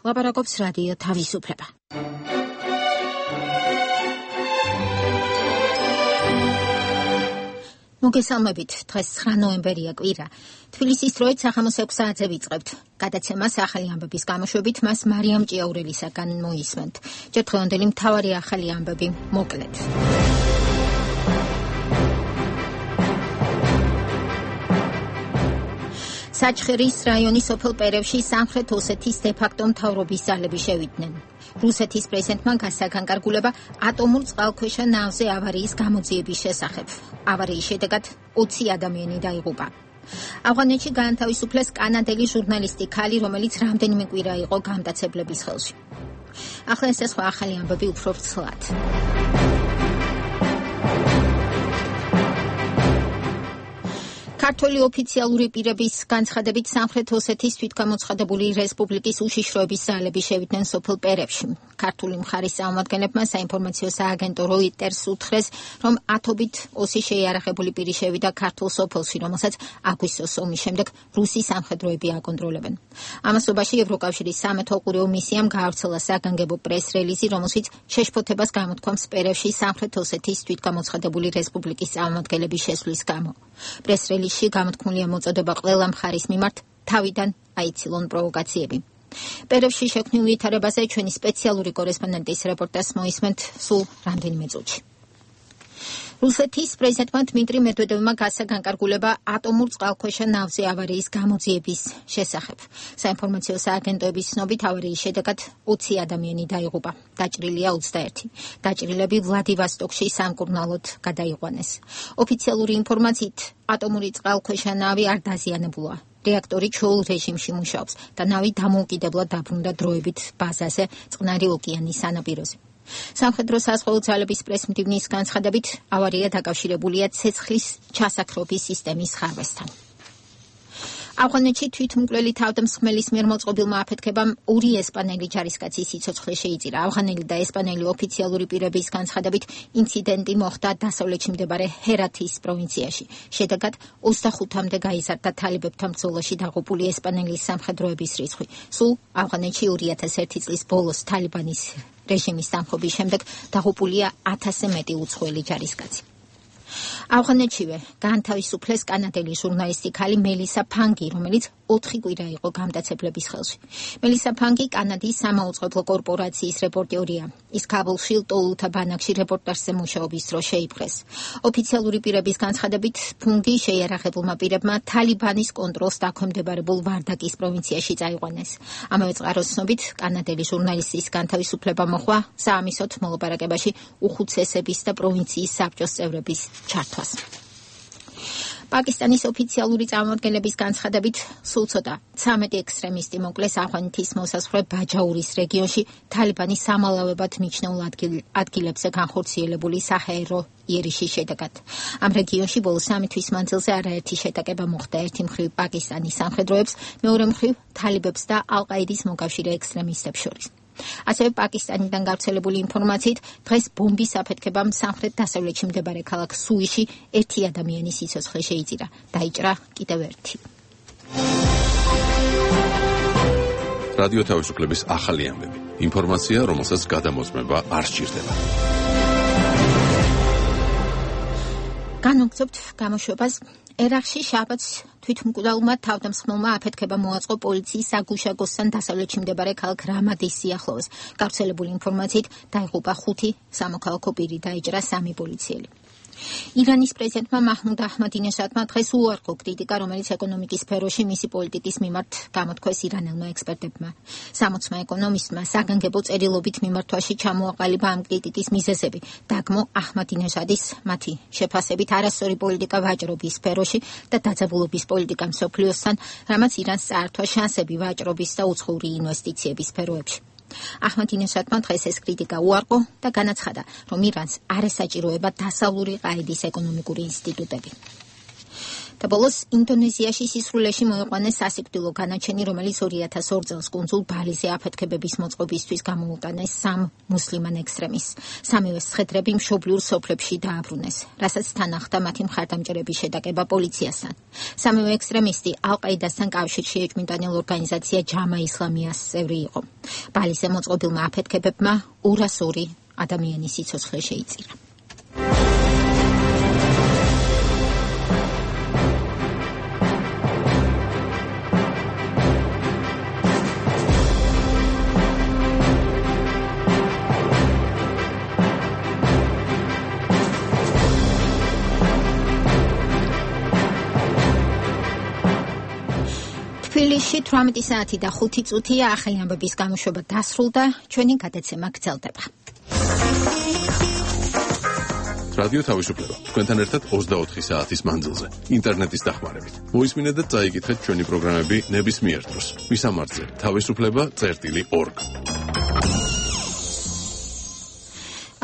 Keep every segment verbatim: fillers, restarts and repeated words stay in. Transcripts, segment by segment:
ლაპარაკობს რადიო თავისუფლება. მოგესალმებით, დღეს ცხრა ნოემბერია კვირა. თბილისის დროით სახამოს ექვსი საათზე ვიწყებთ. გადაცემას ახალი ამბების გამოშვებით მას მარიამ ჭიაურელისაგან მოისმენთ. ჯერ დღევანდელი მთავარი ახალი ამბები მოკლედ. საჩხერის რაიონის სოფელ პერევში სამხრეთ ოსეთის დე-ფაქტო მთავრობის ძალები შევიდნენ. რუსეთის პრეზიდენტმა გასაგანგარგულება ატომურ წყალქვეშა ნავზე ავარიის გამოძიების შესახებ. ავარიის შედეგად ოცი ადამიანი დაიღუპა. ავღანეთში გაანთავისუფლეს კანადელი ჟურნალისტი ქალი, რომელიც რამდენიმე კვირა იყო გამტაცებლების ხელში. ახლა ეს სხვა ახალი ამბები უფრო ვრცლად. ქართული ოფიციალური პირების განცხადებით სამხრეთ ოსეთის თვითგამოცხადებული რესპუბლიკის უშიშროების ძალები შევიდნენ სოფელ პერევში. ქართული მხარის წარმომადგენლებმა საინფორმაციო სააგენტო როიტერს უთხრეს, რომ ათობით ოსი შეიარაღებული პირი შევიდა ქართულ სოფელში, რომელსაც აგვისტოს ომის შემდეგ რუსი სამხედროები აკონტროლებენ. ამასობაში ევროკავშირის სამეთო ყურეო მისიამ გაავრცელა საგანგებო პრეს-რელიზი, რომელშიც შეშფოთებას გამოთქვამს პერევში სამხრეთ ოსეთის თვითგამოცხადებული რესპუბლიკის წარმომადგენლების შესვლის გამო. პრეს-რელიზში გამოთქმულია მოწოდება ყველა მხარის მიმართ თავიდან აიცილონ პროვოკაციები. პერევში შექმნილ ვითარებაზე ჩვენი სპეციალური კორესპონდენტის რეპორტაჟს მოისმენთ სულ რამდენიმე წუთში. რუსეთის პრეზიდენტმა დმიტრი მედვედევმა გასაგანგარგულება ატომურ წყალქვეშა ნავზე ავარიის გამოძიების შესახებ. საინფორმაციო სააგენტოების ცნობით ავარიის შედეგად ოცი ადამიანი დაიღუპა, დაჭრილია ოცდაერთი. დაჭრილები ვლადივოსტოკში სამკურნალოდ გადაიყვანეს. ოფიციალური ინფორმაციით ატომური წყალქვეშა ნავი არ დაზიანებულა. რეაქტორი ჩვეულ რეჟიმში მუშაობს და ნავი დამოუკიდებლად დაბრუნდა დროებით ბაზაზე წყნარი ოკეანის სანაპიროზე. სამხედრო საზღვაო ძალების პრესმდივნის განცხადებით ავარია დაკავშირებულია ცეცხლის ჩასაქრობის სისტემის ხარვესთან. ავღანეთში თვითმკვლელი თავდამსხმელის მიერ მოწყობილმა აფეთქებამ ორი ესპანელი ჯარისკაცის სიცოცხლე შეიწირა. ავღანელი და ესპანელი ოფიციალური პირების განცხადებით ინციდენტი მოხდა დასავლეთში მდებარე ჰერათის პროვინციაში. შედეგად ოცდახუთამდე გაიზარდა თალიბებთან ბრძოლაში დაღუპული ესპანელის სამხედროების რიცხვი. სულ ავღანეთში ორი ათას ერთი წლის ბოლოს თალიბანის რეჟიმის დამხობის შემდეგ დაღუპულია ათასზე მეტი უცხოელი ჯარისკაცი. ავღანეთშივე გაანთავისუფლეს კანადელი ჟურნალისტი ქალი მელისა ფანგი, რომელიც ოთხი კვირა იყო გამტაცებლების ხელში. მელისა ფანგი კანადის სამაუწყებლო კორპორაციის რეპორტერია. ის ქაბულში ლტოლუთა ბანაკში რეპორტაჟზე მუშაობის დროს შეიპყრეს. ოფიციალური პირების განცხადებით ფუნგი შეიარაღებულმა პირებმა თალიბანის კონტროლს დაქვემდებარებულ ვარდაკის პროვინციაში წაიყვანეს. ამავე წყაროს ცნობით კანადელი ჟურნალისტის განთავისუფლება მოხდა საამისოდ მოლაპარაკებაში უხუცესების და პროვინციის საბჭოს წევრების ჩართვას. პაკისტანის ოფიციალური წარმომადგენლების განცხადებით სულ ცოტა ცამეტი ექსტრემისტი მოკლეს ავღანეთის მოსაზღვრე ბაჯაურის რეგიონში თალიბანის სამალავებად მიჩნეულ ადგილებზე განხორციელებული საჰაერო იერიშის შედეგად. ამ რეგიონში ბოლო სამი თვის მანძილზე არაერთი შეტაკება მოხდა. ერთი მხრივ პაკისტანის სამხედროებს, მეორე მხრივ თალიბებს და ალ-ყაიდის მოკავშირე ექსტრემისტებს შორის. ასევე პაკისტანიდან გავრცელებული ინფორმაციით დღეს ბომბის აფეთქებამ სამხრეთ-დასავლეთში მდებარე ქალაქ სუიში ერთი ადამიანის სიცოცხლე შეიწირა. დაიჭრა კიდევ ერთი. რადიო თავისუფლების ახალი ამბები. ინფორმაცია, რომელსაც გადამოწმება არ სჭირდება. განვაგრძობთ გამოშვებას. ერაყში შაბათს თვითმკვლელმა თავდამსხმელმა აფეთქება მოაწყო პოლიციის საგუშაგოსთან დასავლეთში მდებარე ქალაქ რამადის სიახლოვეს. გავრცელებული ინფორმაციით დაიღუპა ხუთი სამოქალაქო პირი, დაიჭრა სამი პოლიციელი. ირანის პრეზიდენტმა მაჰმუდ აჰმადინეჟადმა დღეს უარყო კრიტიკა, რომელიც ეკონომიკის სფეროში მისი პოლიტიკის მიმართ გამოთქვეს ირანელმა ექსპერტებმა. სამოცმა ეკონომისტმა საგანგებო წერილობით მიმართვაში ჩამოაყალიბა ამ კრიტიკის მიზეზები. დაგმო აჰმადინეჟადის მათი შეფასებით არასწორი პოლიტიკა ვაჭრობის სფეროში და დაძაბულობის პოლიტიკა მსოფლიოსთან, რამაც ირანს წაართვა შანსები ვაჭრობის და უცხოური ინვესტიციების სფეროებში. აჰმადინეჟადმა დღეს ეს კრიტიკა უარყო და განაცხადა, რომ ირანს არ ესაჭიროება დასავლური ყაიდის ეკონომიკური ინსტიტუტები. და ბოლოს ინდონეზიაში სისხლულეში მოიყვანეს სასიკვდილო განაჩენი, რომელიც ორი ათას ორ წელს კუნძულ ბალიზე აფეთქებების მოწყობისთვის გამოუტანეს სამ მუსლიმან ექსტრემისტს. სამივე სხედრები მშობლიურ სოფლებში დააბრუნეს, რასაც თან ახლდა მათი მხარდამჭერების შეტაკება პოლიციასთან. სამივე ექსტრემისტი ალ-ყაიდასთან კავშირში ეჭვმიტანილ ორგანიზაცია ჯამა ისლამიას წევრი იყო. ბალიზე მოწყობილმა აფეთქებებმა ორას ორი ადამიანის სიცოცხლე შეიწირა. თბილისში თვრამეტი საათი და ხუთი წუთია, ახალი ამბების გამოშვება დასრულდა, ჩვენი გადაცემა გრძელდება. რადიო თავისუფლება თქვენთან ერთად ოცდაოთხი საათის მანძილზე, ინტერნეტის დახმარებით. მოისმინეთ და წაიკითხეთ ჩვენი პროგრამები ნებისმიერ დროს. მისამართზე თავისუფლება წერტილი ორგ.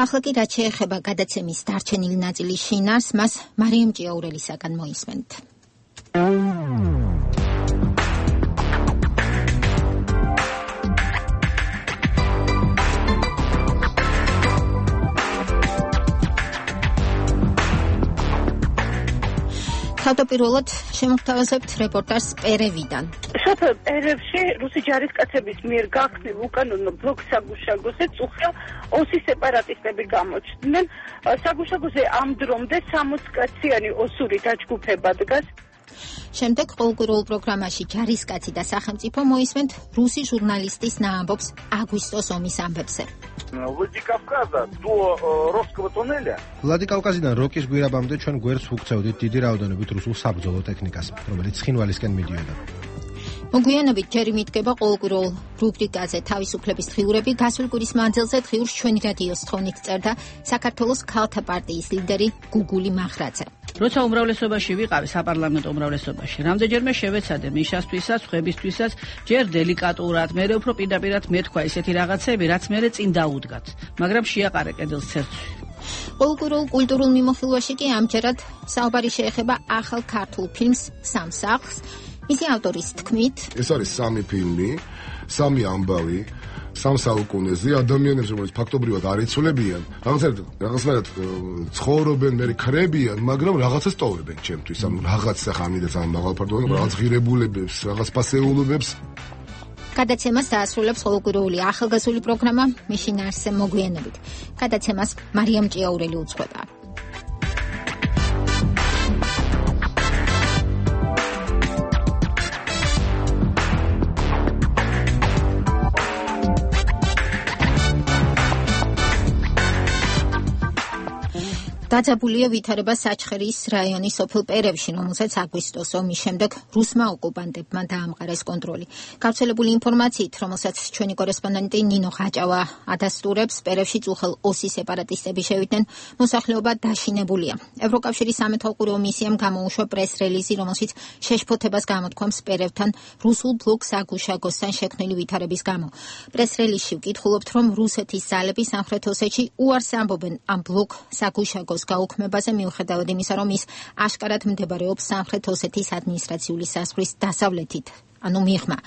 ახლა კი რაც შეეხება გადაცემის დარჩენილი ნაწილის შინაარს, მას მარიამ ჭიაურელისაგან მოისმენთ. თავდაპირველად შემოგთავაზებთ რეპორტაჟს პერევიდან. სოფელ პერევში რუსი ჯარისკაცების მიერ გახსნილ უკანონო ბლოკ საგუშაგოზე წუხდა ოსი სეპარატისტები გამოჩნდნენ. საგუშაგოზე ამ დრომდე სამოცკაციანი ოსური დაჯგუფება დგას. შემდეგ ყოველკვირეულ პროგრამაში ჯარისკაცი და სახელმწიფო მოისმენთ რუსი ჟურნალისტის ნაამბობს აგვისტოს ომის ამბებზე. Владикавказа до Ростова туннеля. ვლადიკავკაზიდან როკის გვირაბამდე ჩვენ გვერდს უგზავნით დიდი რაოდენობით რუსულ საბრძოლო ტექნიკას, რომელიც ცხინვალისკენ მიდიოდა. მოგვიანებით ჯერ იმიდგება ყოველკვირეულ რუბრიკაზე თავისუფლების დღიურები. გასულ კვირის მანძილზე დღიურს ჩვენი რადიოს თხოვნით წერდა საქართველოს ქალთა პარტიის ლიდერი გუგული მახრაძე. როცა უმრავლესობაში ვიყავი საპარლამენტო უმრავლესობაში, რამდენჯერმე შევეცადე მიშასთვისაც, ხვებისთვისაც, ჯერ დელიკატურად, მერე უფრო პირდაპირად მეთქვა ისეთი რაღაცები, რაც მერე წინ დაუდგათ, მაგრამ შეაყარე კედელს ცერცვი. ყოველკვირეულ კულტურულ მიმოხილვაში კი ამჯერად საუბარი შეეხება ახალ ქართულ ფილმს სამსახლს. მისი ავტორის თქმით, ეს არის სამი ფილმი, სამი ამბავი, სამ საუკუნეზე ადამიანებს, რომელიც ფაქტობრივად არ იცოლებიან, რაღაცნაირად რაღაცნაირად ცხოვრობენ, მე ქრებიან, მაგრამ რაღაცას ტოვებენ ჩემთვის, ანუ რაღაც ახამიდაც ამ მაღალფარდოვან რაღაც ღირებულებებს, რაღაც პასეულობებს. გადაცემას დაასრულებს ყოველკვირეული ახალგაზრდული პროგრამა მიშინ არსე მოგვიანებით. გადაცემას მარიამ ჭიაურელი უძღვება. დაძაბულია ვითარება საჩხერის რაიონის სოფელ პერევში, რომელსაც აგვისტოს ომის შემდეგ რუსმა ოკუპანტებმა დაამყარეს კონტროლი. გავრცელებული ინფორმაციით, რომელსაც ჩვენი კორესპონდენტი ნინო ხაჭავა ადასტურებს, პერევში წუხელ ოსი სეპარატისტები შევიდნენ, მოსახლეობა დაშინებულია. ევროკავშირის სამეთვალყურეო მისიამ გამოუშვა პრეს-რელიზი, რომელშიც შეშფოთებას გამოთქვამს პერევთან რუსულ ბლოკ საგუშაგოსთან შექმნილი ვითარების გამო. პრეს-რელიზში ვკითხულობთ, რომ რუსეთის ძალები სამხრეთ ოსეთში უარს ამბობენ ამ ბლოკ საგუშაგოს გაუქმებაზე, მიუხედავად იმისა, რომ ის აშკარად მდებარეობს სამხრეთ ოსეთის ადმინისტრაციული საზღვრის დასავლეთით, ანუ მიღმა.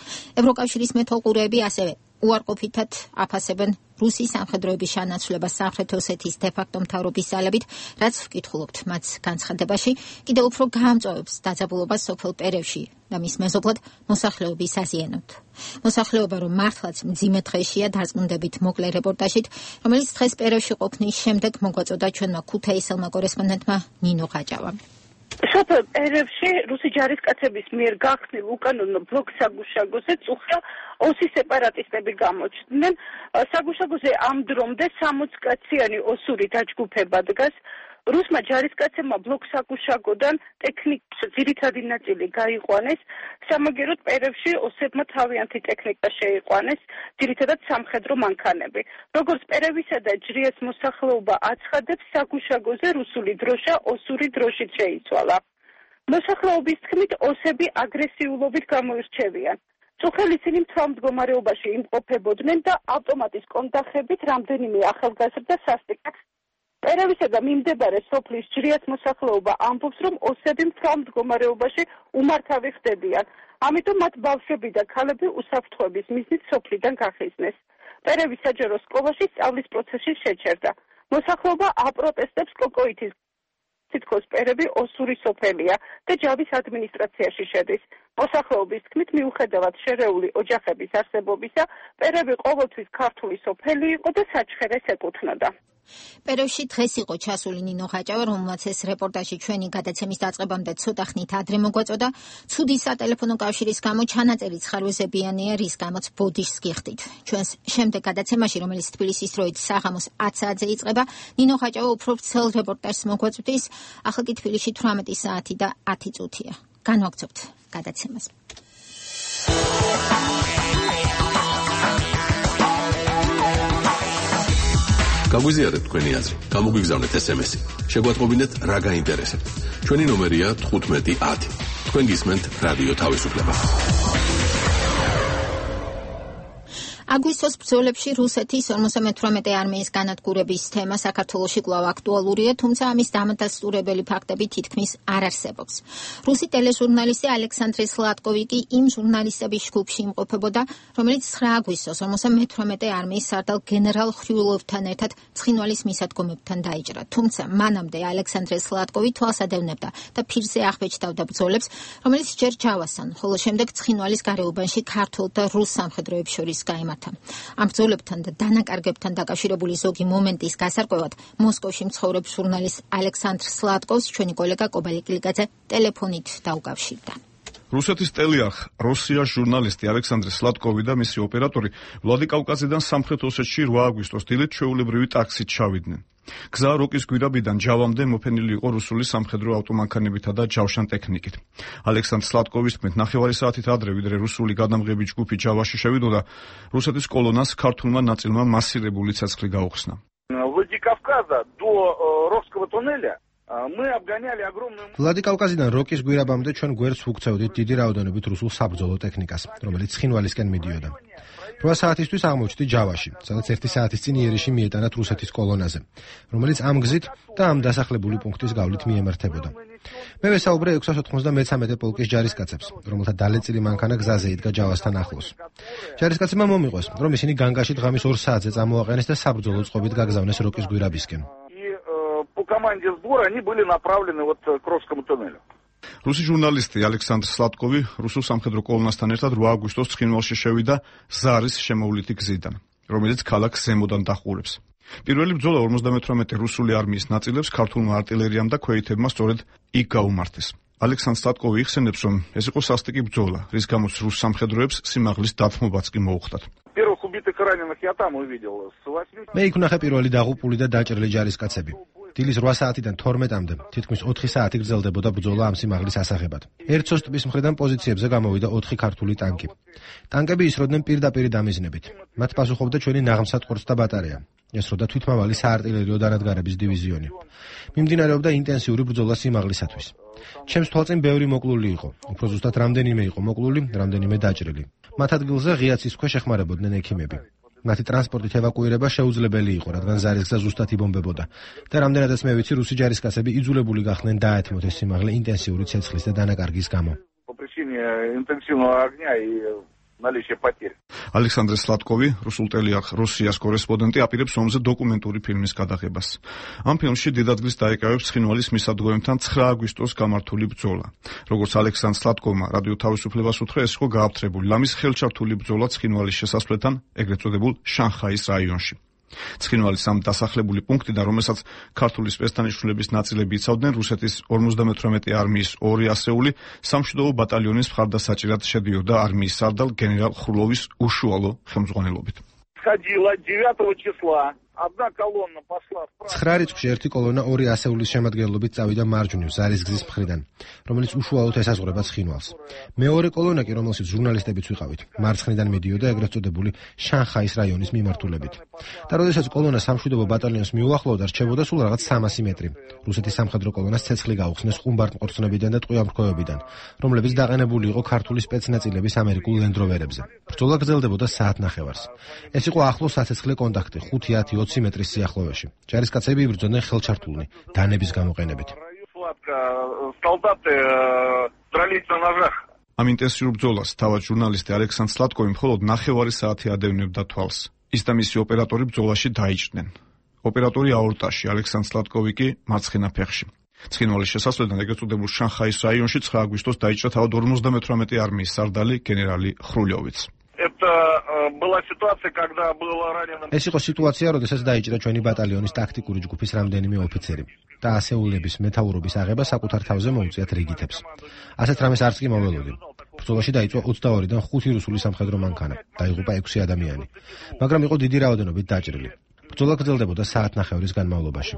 ევროკავშირის მეთვალყურეები ასევე უარყოფითად აფასებენ რუსის სამხედროების შანაცვლებას სამხრეთ ოსეთის დე-ფაქტო მთავრობის ძალებით, რაც ვკითხულობთ მათ განცხადებაში, კიდევ უფრო გაამწვავებს დაძაბულობას სოფელ პერევში და მის მეზობლად მოსახლეობის აზიანოთ. მოსახლეობა რომ მართლაც მძიმე დღეშია, დარწმუნდებით მოკლე რეპორტაჟით, რომელიც დღეს პერევში ყოფნის შემდეგ მოგვაწოდა ჩვენმა ქუთაისელმა კორესპონდენტმა ნინო ხაჭავამ. სოფელ პერევში რუსი ჯარისკაცების მიერ გახსნილ უკანონო ბლოკ საგუშაგოზე წუხდა ოსი სეპარატისტები გამოჩნდნენ. საგუშაგოზე ამ დრომდე სამოცკაციანი osuri დაჯგუფება დგას. რუსმა ჯარისკაცებმა ბლოკ საგუშაგოდან ტექნიკის ძირითადი ნაწილი გაიყვანეს. სამაგეროდ პერევში ოსებმა თავიანთი ტექნიკა შეიყვანეს, ძირითადად სამხედრო მანქანები. როგორც პერევისა და ჯრიეს მოსახლეობა აცხადებს, საგუშაგოზე რუსული დროშა osuri დროშით შეიცვალა. მოსახლეობის თქმით, ოსები აგრესიულობით გამოირჩევიან. წუხელ ისინი მთელ მდგომარეობაში იმყოფებოდნენ და ავტომატის კონტახებით რამდენიმე ახალგაზრდა სასტიკად პერევისა და მიმდებარე სოფლის ჯრიაც მოსახლეობა ამბობს, რომ ოსები მთავარ მდგომარეობაში უმართავი ხდებიან. ამიტომ მათ ბავშვები და ქალები უსაფრთხოების მიზნით სოფლიდან გახიზნეს. პერევის საჯარო სკოლაში სწავლის პროცესი შეჩერდა. მოსახლეობა აპროტესტებს კოკოითის თითქოს პერევი ოსური სოფელია და ჯავის ადმინისტრაციაში შედის. მოსახლეობის თქმით, მიუხედავად შერეული ოჯახების არსებობისა, პერევი ყოველთვის ქართული სოფელი იყო და საჩხერეს ეკუთვნოდა. პერევში დღეს იყო ჩასული ნინო ხაჭავა, რომელმაც ეს რეპორტაჟი ჩვენი გადაცემის დაწყებამდე ცოტა ხნით ადრე მოგვაწოდა. ცუდი სატელეფონო კავშირის გამო ჩანაწერიც ხარვეზებიანია, რის გამოც ბოდიშს გიხდით. ჩვენს შემდეგ გადაცემაში, რომელიც თბილისის დროით საღამოს ათ საათზე იწყება, ნინო ხაჭავა უფრო ვრცელ რეპორტაჟს მოგვაწვდის. ახლა კი თბილისში თვრამეტი საათი და ათი წუთია. განვაგრძობთ გადაცემას. გაგვიზიარეთ თქვენი აზრი, გამოგვიგზავნეთ ესემესი. შეგვატყობინეთ რა გაინტერესებთ. ჩვენი ნომერია თხუთმეტი ათი. თქვენ გისმენთ რადიო თავისუფლება. აგვისტოს ბრძოლებში რუსეთის ორმოცდამეთვრამეტე არმიის განადგურების თემა საქართველოში კვლავ აქტუალურია, თუმცა ამის დამადასტურებელი ფაქტები თითქმის არ არსებობს. რუსი ტელეჟურნალისტი ალექსანდრე სლატკოვი კი იმ ჟურნალისტების ჯგუფში იმყოფებოდა, რომელიც ცხრა აგვისტოს ორმოცდამეთვრამეტე არმიის სარდალ გენერალ ხრიულოვთან ერთად ცხინვალის მისადგომებთან დაიჭრა. თუმცა მანამდე ალექსანდრე სლატკოვი თვალს ადევნებდა და ფირზე აღბეჭდავდა ბრძოლებს, რომელიც ჯერ ჯავასთან, ხოლო შემდეგ ცხინვალის გარეუბანში ქართულ და რუს სამხედროებს შორის გაიმართა. ამ ბრძოლებთან და დანაკარგებთან დაკავშირებული ზოგი მომენტის გასარკვევად მოსკოვში მცხოვრებ ჟურნალისტ ალექსანდრ სლატკოვს ჩვენი კოლეგა კობალი კილიკაძე ტელეფონით დაუკავშირდა. რუსეთის ტელიარხ როსიას ჟურნალისტი ალექსანდრე სლატკოვი და მისი ოპერატორი ვლადიკავკაზიდან სამხრეთ ოსეთში რვა აგვისტოს დილით ჩვეულებრივი ტაქსით ჩავიდნენ. გზა როკის გვირაბიდან ჯავამდე მოფენილი იყო რუსული სამხედრო ავტომანქანებითა და ჯავშან ტექნიკით. ალექსანდრ სლატკოვის თქმით, ნახევარი საათით ადრე, ვიდრე რუსული გადამღები ჯგუფი ჯავაში შევიდოდა, რუსეთის კოლონას ქართულმა ნაწილმა მასირებული ცეცხლი გაუხსნა. Владикавказа до Рокского туннеля мы обгоняли огромную... ვლადიკავკაზიდან როკის გვირაბამდე ჩვენ გვერდს ვუქცევდით დიდი რაოდენობით რუსულ საბრძოლო ტექნიკას, რომელიც ცხინვალისკენ მიდიოდა. რვა საათისთვის აღმოჩნდი ჯავაში, სადაც ერთი საათის წინ იერიში მიეტანათ რუსეთის კოლონაზე, რომელიც ამ გზით და ამ დასახლებული პუნქტის გავლით მიემართებოდა. მე ვესაუბრე ექვსას ოთხმოცდამეცამეტე პოლკის ჯარისკაცებს, რომელთა დალეწილი მანქანა გზაზე იდგა ჯავასთან ახლოს. ჯარისკაცებმა მომიყვეს, რომ ისინი განგაში დღამის ორ საათზე წამოაყენეს და საბრძოლო წყობით გაგზავნეს როკის გვირაბისკენ. По команде сбора они были направлены вот к Рокскому туннелю. რუსი ჟურნალისტი ალექსანდრ სლატკოვი რუსულ სამხედრო კოლონასთან ერთად რვა აგვისტოს ცხინვალში შევიდა ზარის შემოვლითი გზიდან, რომელიც ქალაქს ზემოდან დაჰყურებს. პირველი ბრძოლა ორმოცდამეთვრამეტე რუსული არმიის ნაწილებს ქართულმა артиლერიამ და ქვეითებმა სწორედ იქ გაუმართეს. ალექსანდრ სლატკოვი იხსენებს, რომ ეს იყო სასტიკი ბრძოლა, რის გამოც რუს სამხედროებს სიმაღლის დათმობაც კი მოუხდათ. Первых убитых и раненых я там увидел. მე იქ ვნახე პირველი დაღუპული და დაჭრილი ჯარისკაცები. დილის რვა საათიდან თორმეტამდე თითქმის ოთხი საათი გრძელდებოდა ბრძოლა ამ სიმაღლის ასაღებად. ერთსოს ტბის მხრიდან პოზიციებზე გამოვიდა ოთხი ქართული ტანკი. ტანკები ისროდნენ პირდაპირ დამიზნებით. მათ პასუხობდა ჩვენი ნაღმსატყორს და ბატარეა. ესროდა თვითმავალი საარტილერიო დანადგარების დივიზიონი. მიმდინარეობდა ინტენსიური ბრძოლა სიმაღლისათვის. ჩემს თვალწინ ბევრი მოკლული იყო. უფრო ზუსტად რამდენიმე იყო მოკლული, რამდენიმე დაჭრილი. მათ ადგილზე ღია ცის ქვეშ ეხმარებოდნენ ექიმები. მათი ტრანსპორტით ევაკუირება შეუძლებელი იყო, რადგან ზარის გზა ზუსტად იბომბებოდა. და რამდენადაც მე ვიცი, რუსი ჯარისკაცები იძულებული გახდნენ დაეთმოთ ეს სიმაღლე ინტენსიური ცეცხლის და დანაკარგის გამო. По причине интенсивного огня и наличия потерь. ალექსანდრე სლატკოვი, რუსულ ტელიარხ როსიას კორესპონდენტი, აპირებს ომზე დოკუმენტური ფილმის გადაღებას. ამ ფილმში დიდადგილს დაეკავებს ცხინვალის მისადგომებთან ცხრა აგვისტოს გამართული ბრძოლა. როგორც ალექსანდრ სლატკოვმა რადიო თავისუფლებას უთხრა, ეს იყო გააფთრებული ლამის ხელჩართული ბრძოლა ცხინვალის შესასვლელთან, ეგრეთ წოდებულ შანხაის რაიონში. ცხინვალის ამ დასახლებული პუნქტიდან, რომელსაც ქართული სპეცდანიშნულების ნაწილები იცავდნენ, რუსეთის ორმოცდამეთვრამეტე არმიის ორი ასეული სამშვიდობო ბატალიონის მხარდასაჭირად შედიოდა არმიის სარდალ გენერალ ხრულოვის უშუალო ხელმძღვანელობით. Сходила девятого числа. Одна колонна пошла вправо. ცხრა რიცხვში ერთი კოლონა ორი ასეულის შემადგენლობით წავიდა მარჯვნივ ზარის გზის მხრიდან, რომელიც უშუალოდ ესაზღვრება ცხინვალს. მეორე კოლონა კი, რომელშიც ჟურნალისტებიც ვიყავით, მარცხნიდან მიდიოდა ეგრეთ წოდებული შანხაის რაიონის მიმართულებით. და როდესაც კოლონა სამშვიდობო ბატალიონს მიუახლოვდა, რჩებოდა სულ რაღაც სამასი მეტრი. რუსეთის სამხედრო კოლონას ცეცხლი გაუხსნეს ხუმბარტმყორცნებიდან და ტყვიამრქვევებიდან, რომლებიც დაყენებული იყო ქართული სპეცნაწილების ამერიკულ ლენდროვერებზე. ბრძოლა გრძელდებოდა საათნახევარს. ეს იყო ახლო საცეცხლე კონტაქტი ხუთი ათი ოცი მეტრის სიახლოვეში. ჯარისკაცები იბრძოდნენ ხელჩართულნი, დანების გამოყენებით. ამ ინტენსიურ ბრძოლას თავად ჟურნალისტი ალექსანდრ სლატკოვი მხოლოდ ნახევარი საათი ადევნებდა თვალს. ის და მისი ოპერატორი ბრძოლაში დაიჭრნენ. ოპერატორი აორტაში, ალექსანდრ სლატკოვი კი მარცხენა ფეხში. ცხინვალის შესასვლელთან ეგრეთ წოდებულ შანხაის რაიონში ცხრა აგვისტოს დაიჭრა თავად ორმოცდამეთვრამეტე არმიის სარდალი გენერალი ხრულიოვიც. ეს იყო სიტუაცია, როდესაც დაიჭრა ჩვენი ბატალიონის ტაქტიკური ჯგუფის რამდენიმე ოფიცერი და ასეულების მეთაურობის აღება საკუთარ თავზე მოუწიათ რიგითებს. ასეთ რამეს არც კი მოველოდი. ბრძოლაში დაიწყო ოცდაორიდან ხუთი რუსული სამხედრო მანქანა, დაიღუპა ექვსი ადამიანი, მაგრამ იყო დიდი რაოდენობით დაჭრილი. ბრძოლა გრძელდებოდა საათნახევრის განმავლობაში.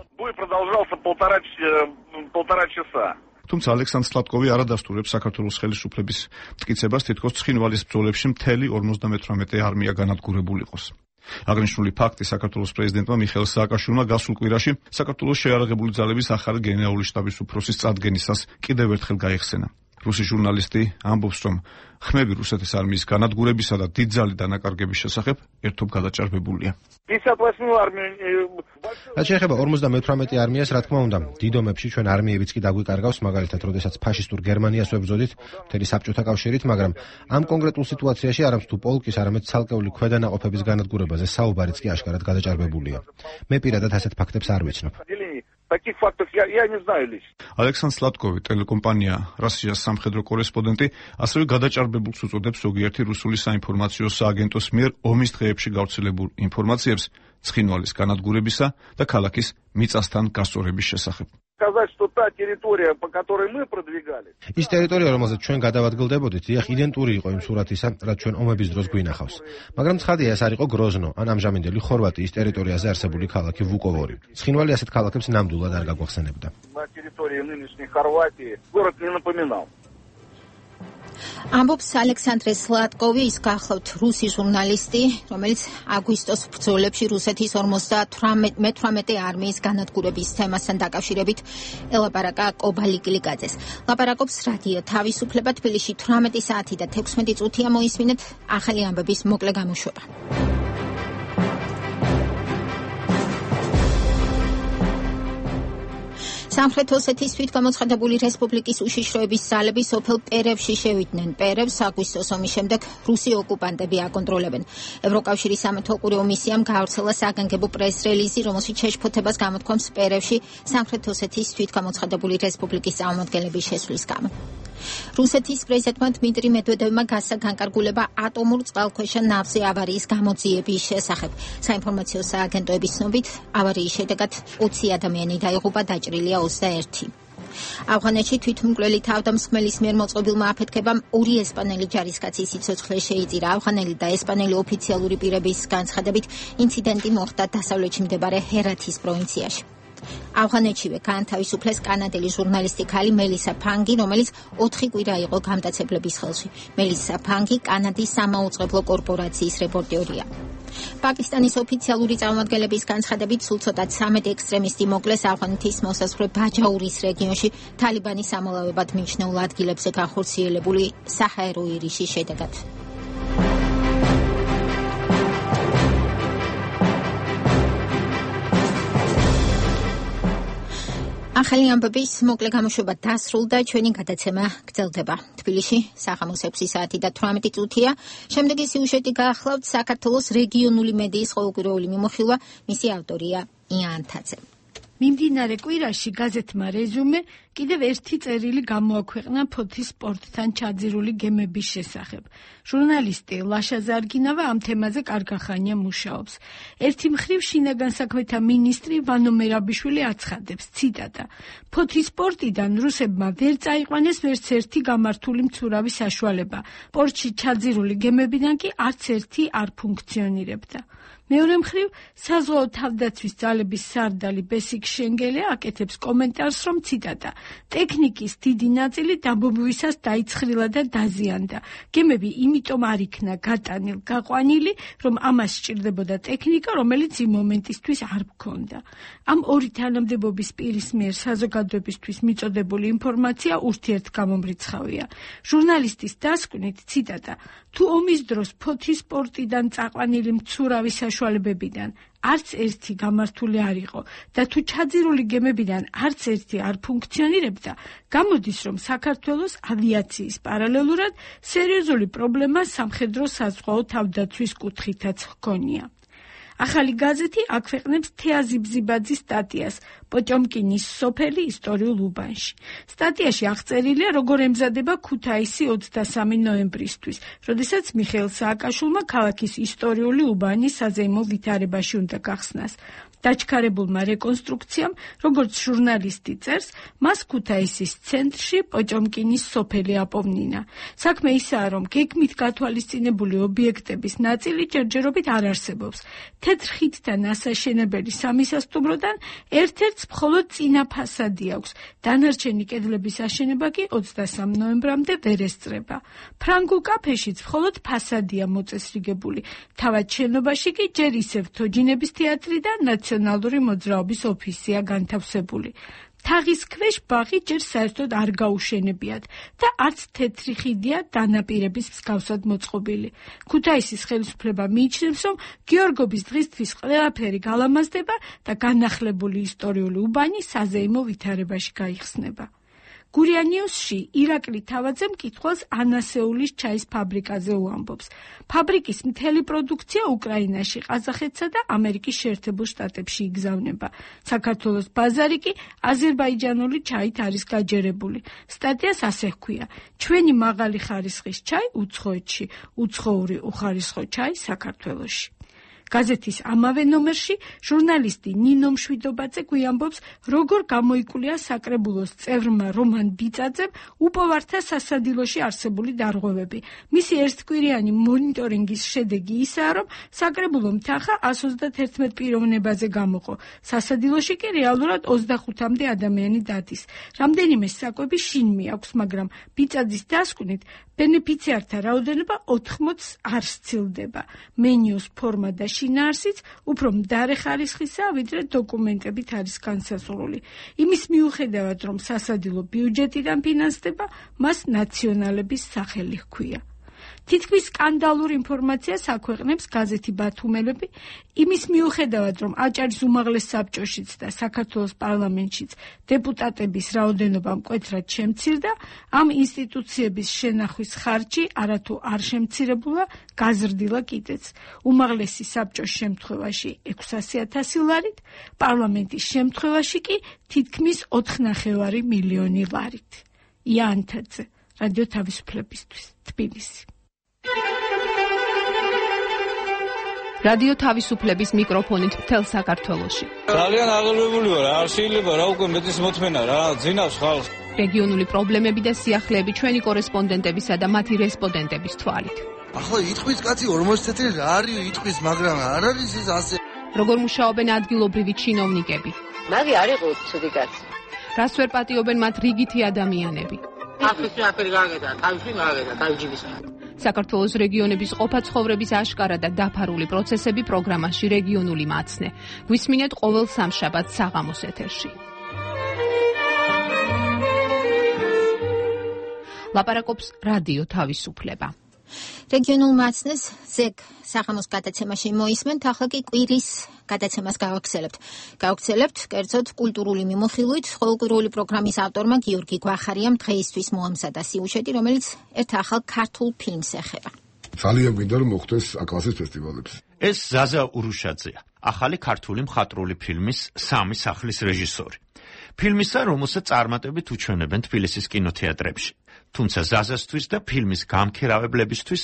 თუმცა ალექსანდრ სლატკოვი არ ადასტურებს საქართველოს ხელისუფლების მტკიცებას, თითქოს ცხინვალის ბრძოლებში მთელი ორმოცდამეთვრამეტე არმია განადგურებული იყოს. აღნიშნული ფაქტი საქართველოს პრეზიდენტმა მიხეილ სააკაშვილმა გასულ კვირაში საქართველოს შეიარაღებული ძალების ახალი გენერალური შტაბის უფროსის წარდგენისას კიდევ ერთხელ გაიხსენა. რუსი ჟურნალისტი ამბობს, რომ ხმები რუსეთის არმიის განადგურებისა და დიდძალი დანაკარგების შესახებ ერთობ გადაჭარბებულია. რაც შეეხება ორმოცდამეთვრამეტე არმიას, რა თქმა უნდა, დიდ ომებში ჩვენ არმიებიც კი დაგვიკარგავს, მაგალითად, როდესაც ფაშისტურ გერმანიას ვებრძოდით მთელი საბჭოთა კავშირით, მაგრამ ამ კონკრეტულ სიტუაციაში არამც თუ პოლკის, არამედ ცალკეული ქვედანაყოფების განადგურებაზე საუბარიც კი აშკარად გადაჭარბებულია. მე პირადად ასეთ ფაქტებს არ ვიცნობ. Таких фактов я, я не знаю лично. ალექსანდრ სლატკოვი, ტელეკომპანია რუსეთის სამხედრო კორესპონდენტი, ასევე გადაჭარბებულს უწოდებს ზოგიერთი რუსული საინფორმაციო სააგენტოს მიერ ომის დღეებში გავრცელებულ ინფორმაციებს ცხინვალის განადგურებისა და ქალაქის მიწასთან გასწორების შესახებ. Сказать, что та территория, по которой мы продвигались. ის ტერიტორია, რომელზეც ჩვენ გადავადგილდებოდით, დიახ, იდენტური იყო იმ სურათისა, რაც ჩვენ ომების დროს გვინახავს. მაგრამ ცხადია, ეს არ იყო გროზნო, ან ამჟამინდელი ხორვატიის ტერიტორიაზე არსებული ქალაქი ვუკოვორი. ცხინვალი ასეთ ქალაქებს ნამდვილად არ გაგვახსენებდა. На территории нынешней Хорватии город не напоминал. ამბობს ალექსანდრე სლატკოვი, ის გახლავთ რუსი ჟურნალისტი, რომელიც აგვისტოს ბრძოლებში რუსეთის ორმოცდამეთვრამეტე არმიის განადგურების თემასთან დაკავშირებით ელაპარაკა კობალი გლიკაძეს. ლაპარაკობს რადიო თავისუფლება თბილისში თვრამეტი საათი და თექვსმეტი წუთია, მოისმინეთ ახალი ამბების მოკლე გამოშვება. სამხრეთ ოსეთის თვითგამოცხადებული რესპუბლიკის უშიშროების ძალები სოფელ პერევში შევიდნენ. პერევს აგვისტოს ომის შემდეგ რუსი ოკუპანტები აკონტროლებენ. ევროკავშირის სამეთვალყურეო მისიამ გაავრცელა საგანგებო პრეს-რელიზი, რომელშიც შეშფოთებას გამოთქვამს პერევში სამხრეთ ოსეთის თვითგამოცხადებული რესპუბლიკის წარმომადგენლების შესვლის გამო. რუსეთის პრეზიდენტმა დმიტრი მედვედევმა გასცა განკარგულება ატომურ წყალქვეშა ნავზე ავარიის გამოძიების შესახებ. საინფორმაციო სააგენტოების ცნობით, ავარიის შედეგად ოცი ადამიანი დაიღუპა, დაჭრილია ოცდაერთი. ავღანეთში თვითმკვლელი თავდამსხმელის მიერ მოწყობილმა აფეთქებამ ორი ესპანელი ჯარისკაცის სიცოცხლე შეიწირა. ავღანელი და ესპანელი ოფიციალური პირების განცხადებით, ინციდენტი მოხდა დასავლეთში მდებარე ჰერათის პროვინციაში. ავღანეთშივე გაანთავისუფლეს კანადელი ჟურნალისტი ქალი მელისა ფანგი, რომელიც ოთხი კვირა იყო გამტაცებლების ხელში. მელისა ფანგი კანადის სამაუწყებლო კორპორაციის რეპორტერია. პაკისტანის ოფიციალური წარმომადგენლების განცხადებით, სულ ცოტა ცამეტი ექსტრემისტი მოკლეს ავღანეთის მოსაზღვრე ბაჯაურის რეგიონში თალიბანის ამალავებად მიჩნეულ ადგილებზე განხორციელებული საჰაერო ირიშის შედეგად. ახალი ამბების მოკლე გამოშვება დასრულდა, ჩვენი გადაცემა გრძელდება. თბილისში საღამოს ექვსი საათი და თვრამეტი წუთია. შემდეგი სიუჟეტი გაახლავთ საქართველოს რეგიონული მედიის ყოველკვირეული მიმოხილვა, მისი ავტორია იან თაძე. მიმდინარე კვირაში გაზეთმა რეზუმე კიდევ ერთი წერილი გამოაქვეყნა ფოთის სპორტთან ჩაძირული გემების შესახებ. ჟურნალისტი ლაშა ზარგინავა ამ თემაზე კარგახანია მუშაობს. ერთი მხრივ შინაგან საქმეთა მინისტრი ვანო მერაბიშვილი აცხადებს, ციტატა: ფოთის სპორტიდან რუსებმა ვერ წაიყვანეს ვერც ერთი გამართული მცურავი საშუალება. პორტში ჩაძირული გემებიდან კი არც ერთი არ ფუნქციონირებდა. მეორე მხრივ, საზღვაო თავდაცვის ძალების სარდალი ბესიკ შენგელე აკეთებს კომენტარს, რომ ციტატა: ტექნიკის დიდი ნაწილი დაბომბვისას დაიცხრილა და დაზიანდა. გემები იმიტომ არ იქნა გატანილ გაყვანილი, რომ ამას სჭირდებოდა ტექნიკა, რომელიც იმ მომენტისთვის არ გქონდა. ამ ორი თანამდებობის პირის მიერ საზოგადოებისთვის მიწოდებული ინფორმაცია ურთიერთგამომრიცხავია. ჟურნალისტის დასკვნით, ციტატა: თუ ომის დროს ფოთის სპორტიდან წაყვანილი მცურავი საშუალებებიდან არც ერთი გამართული არ იყო და თუ ჩაძირული გემებიდან არც ერთი არ ფუნქციონირებდა, გამოდის, რომ საქართველოს ავიაციის პარალელურად სერიოზული პრობლემა სამხედრო-საზღვაო თავდაცვის კუთხითაც ჰქონია. ახალი გაზეთი აქვეყნებს თეაზი ბზიბაძის სტატიას პოჭომკინის სოფელი ისტორიულ უბანში. სტატიაში აღწერილია, როგორ ემზადება ქუთაისი ოცდასამი ნოემბრისთვის, როდესაც მიხეილ სააკაშვილმა ქალაქის ისტორიული უბანი საზეიმო ვითარებაში უნდა გახსნას. დაჩქარებულმა რეკონსტრუქციამ, როგორც ჟურნალისტი წერს, მას ქუთაისის ცენტრში პოჭომკინის სოფელი აპოვნინა. საქმე ისაა, რომ გეგმით გათვალისწინებული ობიექტების ნაწილი ჯერჯერობით არ არსებობს. თეთრ ხიდთან ასაშენებელი სამისასტუმროდან ერთ-ერთს მხოლოდ წინა ფასადი აქვს. დანარჩენი კედლების აშენება კი ოცდასამ ნოემბრამდე ვერ ესწრება. ფრანგულ კაფეშიც მხოლოდ ფასადია მოწესრიგებული. თავად შენობაში კი ჯერ ისევ თოჯინების თეატრი და ნაციონალური მოძრაობის ოფისია განთავსებული. თაღის ქვეშ ბაღი ჯერ საერთოდ არ გაუშენებიათ და არც თეთრი ხიდია დანაპირების მსგავსად მოწყობილი. ქუთაისის ხელისუფლება მიიჩნევს, რომ გიორგობის დღისთვის ყველაფერი გალამაზდება და განახლებული ისტორიული უბანი საზეიმო ვითარებაში გაიხსნება. გურია ნიუსში ირაკლი თავაძე მკითხველს ანასეულის ჩაის ფაბრიკაზე უამბობს. ფაბრიკის მთელი პროდუქცია უკრაინაში, ყაზახეთსა და ამერიკის შეერთებულ შტატებში იგზავნება. საქართველოს ბაზარი კი აზერბაიჯანული ჩაით არის გაჯერებული. სტატიას ასე ჰქვია: ჩვენი მაღალი ხარისხის ჩაი უცხოეთში, უცხოური უხარისხო ჩაი საქართველოში. გაზეთის ამავე ნომერში ჟურნალისტი ნინო მშვიდობაძე გვიამბობს, როგორ გამოიკვლია საკრებულოს წევრმა რომან ბიწაძემ უპოვართა სასადილოში არსებული დარღვევები. მისი ერთკვირიანი მონიტორინგის შედეგი ისაა, რომ საკრებულომ თანხა ას ოცდაათი პიროვნებაზე გამოყო. სასადილოში კი რეალურად ოცდახუთამდე ადამიანი დადის. რამდენიმე საკვები შინ მიაქვს, მაგრამ ბიწაძის დასკვნით ბენეფიციართა რაოდენობა ოთხმოცს არ სცილდება. მენიუს ფორმა და შინაარსიც უფრო მდარე ხარისხისაა, ვიდრე დოკუმენტებით არის განსაზღვრული. იმის მიუხედავად, რომ სასადილო ბიუჯეტიდან ფინანსდება, მას ნაციონალების სახელი ჰქვია. თითქმის სკანდალურ ინფორმაციას აქვეყნებს გაზეთი ბათუმელები, იმის მიუხედავად, რომ აჭარის უმაღლეს საბჭოშიც და საქართველოს პარლამენტშიც დეპუტატების რაოდენობა მკვეთრად შემცირდა, ამ ინსტიტუციების შენახვის ხარჯი არათუ არ შემცირებულა, გაზრდილა კიდეც. უმაღლესი საბჭოს შემთხვევაში ექვსასი ათასი ლარით, პარლამენტის შემთხვევაში კი თითქმის ოთხნახევარი მილიონი ლარით. ია ანთაძე, რადიო თავისუფლებისთვის, თბილისი. რადიო თავისუფლების მიკროფონით მთელ საქართველოში. ძალიან აღელვებული ვარ, არ შეიძლება რა უკვე მეტის მოთმენა რა, ძინავს ხალხს. რეგიონული პრობლემები და სიახლეები ჩვენი კორესპონდენტებისა და მათი რესპონდენტების თვალით. ახლა იტყვის კაცი ორმოცი წელი რა არის იტყვის, მაგრამ არ არის ეს ასე. როგორ მუშაობენ ადგილობრივი ჩინოვნიკები? მაგი არ იყო ცუდი კაცი. რას ვერ პატიობენ მათ რიგითი ადამიანები? ახლა აფერი გაგედა, თავში გაგედა, თავჯიბისა. საქართველოს რეგიონების ყოფა ცხოვრების აშკარა და დაფარული პროცესები პროგრამაში რეგიონული მაცნე. გვისმინეთ ყოველ სამშაბათს საღამოს ეთერში. ლაპარაკობს რადიო თავისუფლება. რეგიონულ მაცნეს ზეგ საღამოს გადაცემაში მოისმენთ, ახლა კი კვირის გადაცემას გავაგრძელებთ. გავაგრძელებთ კერძოდ კულტურული მიმოხილვით ყოველკვირეული პროგრამის ავტორმა გიორგი გვახარიამ დღეისთვის მოამზადა სიუჟეტი, რომელიც ერთ ახალ ქართულ ფილმს ეხება. ძალიან მინდა რომ მოხდეს აკლასის ფესტივალებში. ეს ზაზა ურუშაძეა, ახალი ქართული მხატვრული ფილმის სამი სახლის რეჟისორი. ფილმისა, რომელსაც წარმატებით უჩვენებენ თბილისის კინოთეატრებში. თუმცა ზაზასთვის და ფილმის გამქერავებლებისთვის,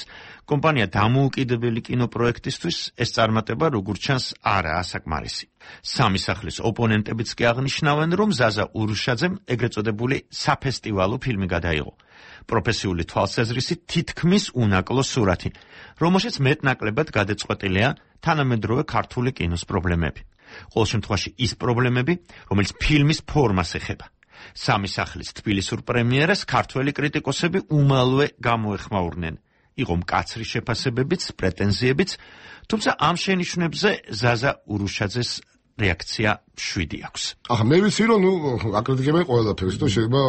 კომპანია დამოუკიდებელი კინოპროექტისთვის ეს წარმატება როგორც ჩანს არაა საკმარისი. სამი სახლის ოპონენტებიც კი აღნიშნავენ, რომ ზაზა ურუშაძემ ეგრეთ წოდებული საფესტივალო ფილმი გადაიღო. პროფესიული თვალსაზრისით თითქმის უნაკლო სურათი, რომელშიც მეტნაკლებად გადაწყვეტილია თანამედროვე ქართული კინოს პრობლემები. ყოველ შემთხვევაში ის პრობლემები, რომელიც ფილმის ფორმას ეხება. სამი სახლის თბილისურ პრემიერას ქართველი კრიტიკოსები უმალვე გამოეხმაურნენ. იყო მკაცრი შეფასებებიც, პრეტენზიებიც, თუმცა ამ შენიშვნებზე ზაზა ურუშაძეს რეაქცია შვიდი აქვს. ახლა მე ვიცი რომ ნუ აკრიტიკებენ ყველაფერს და შეიძლება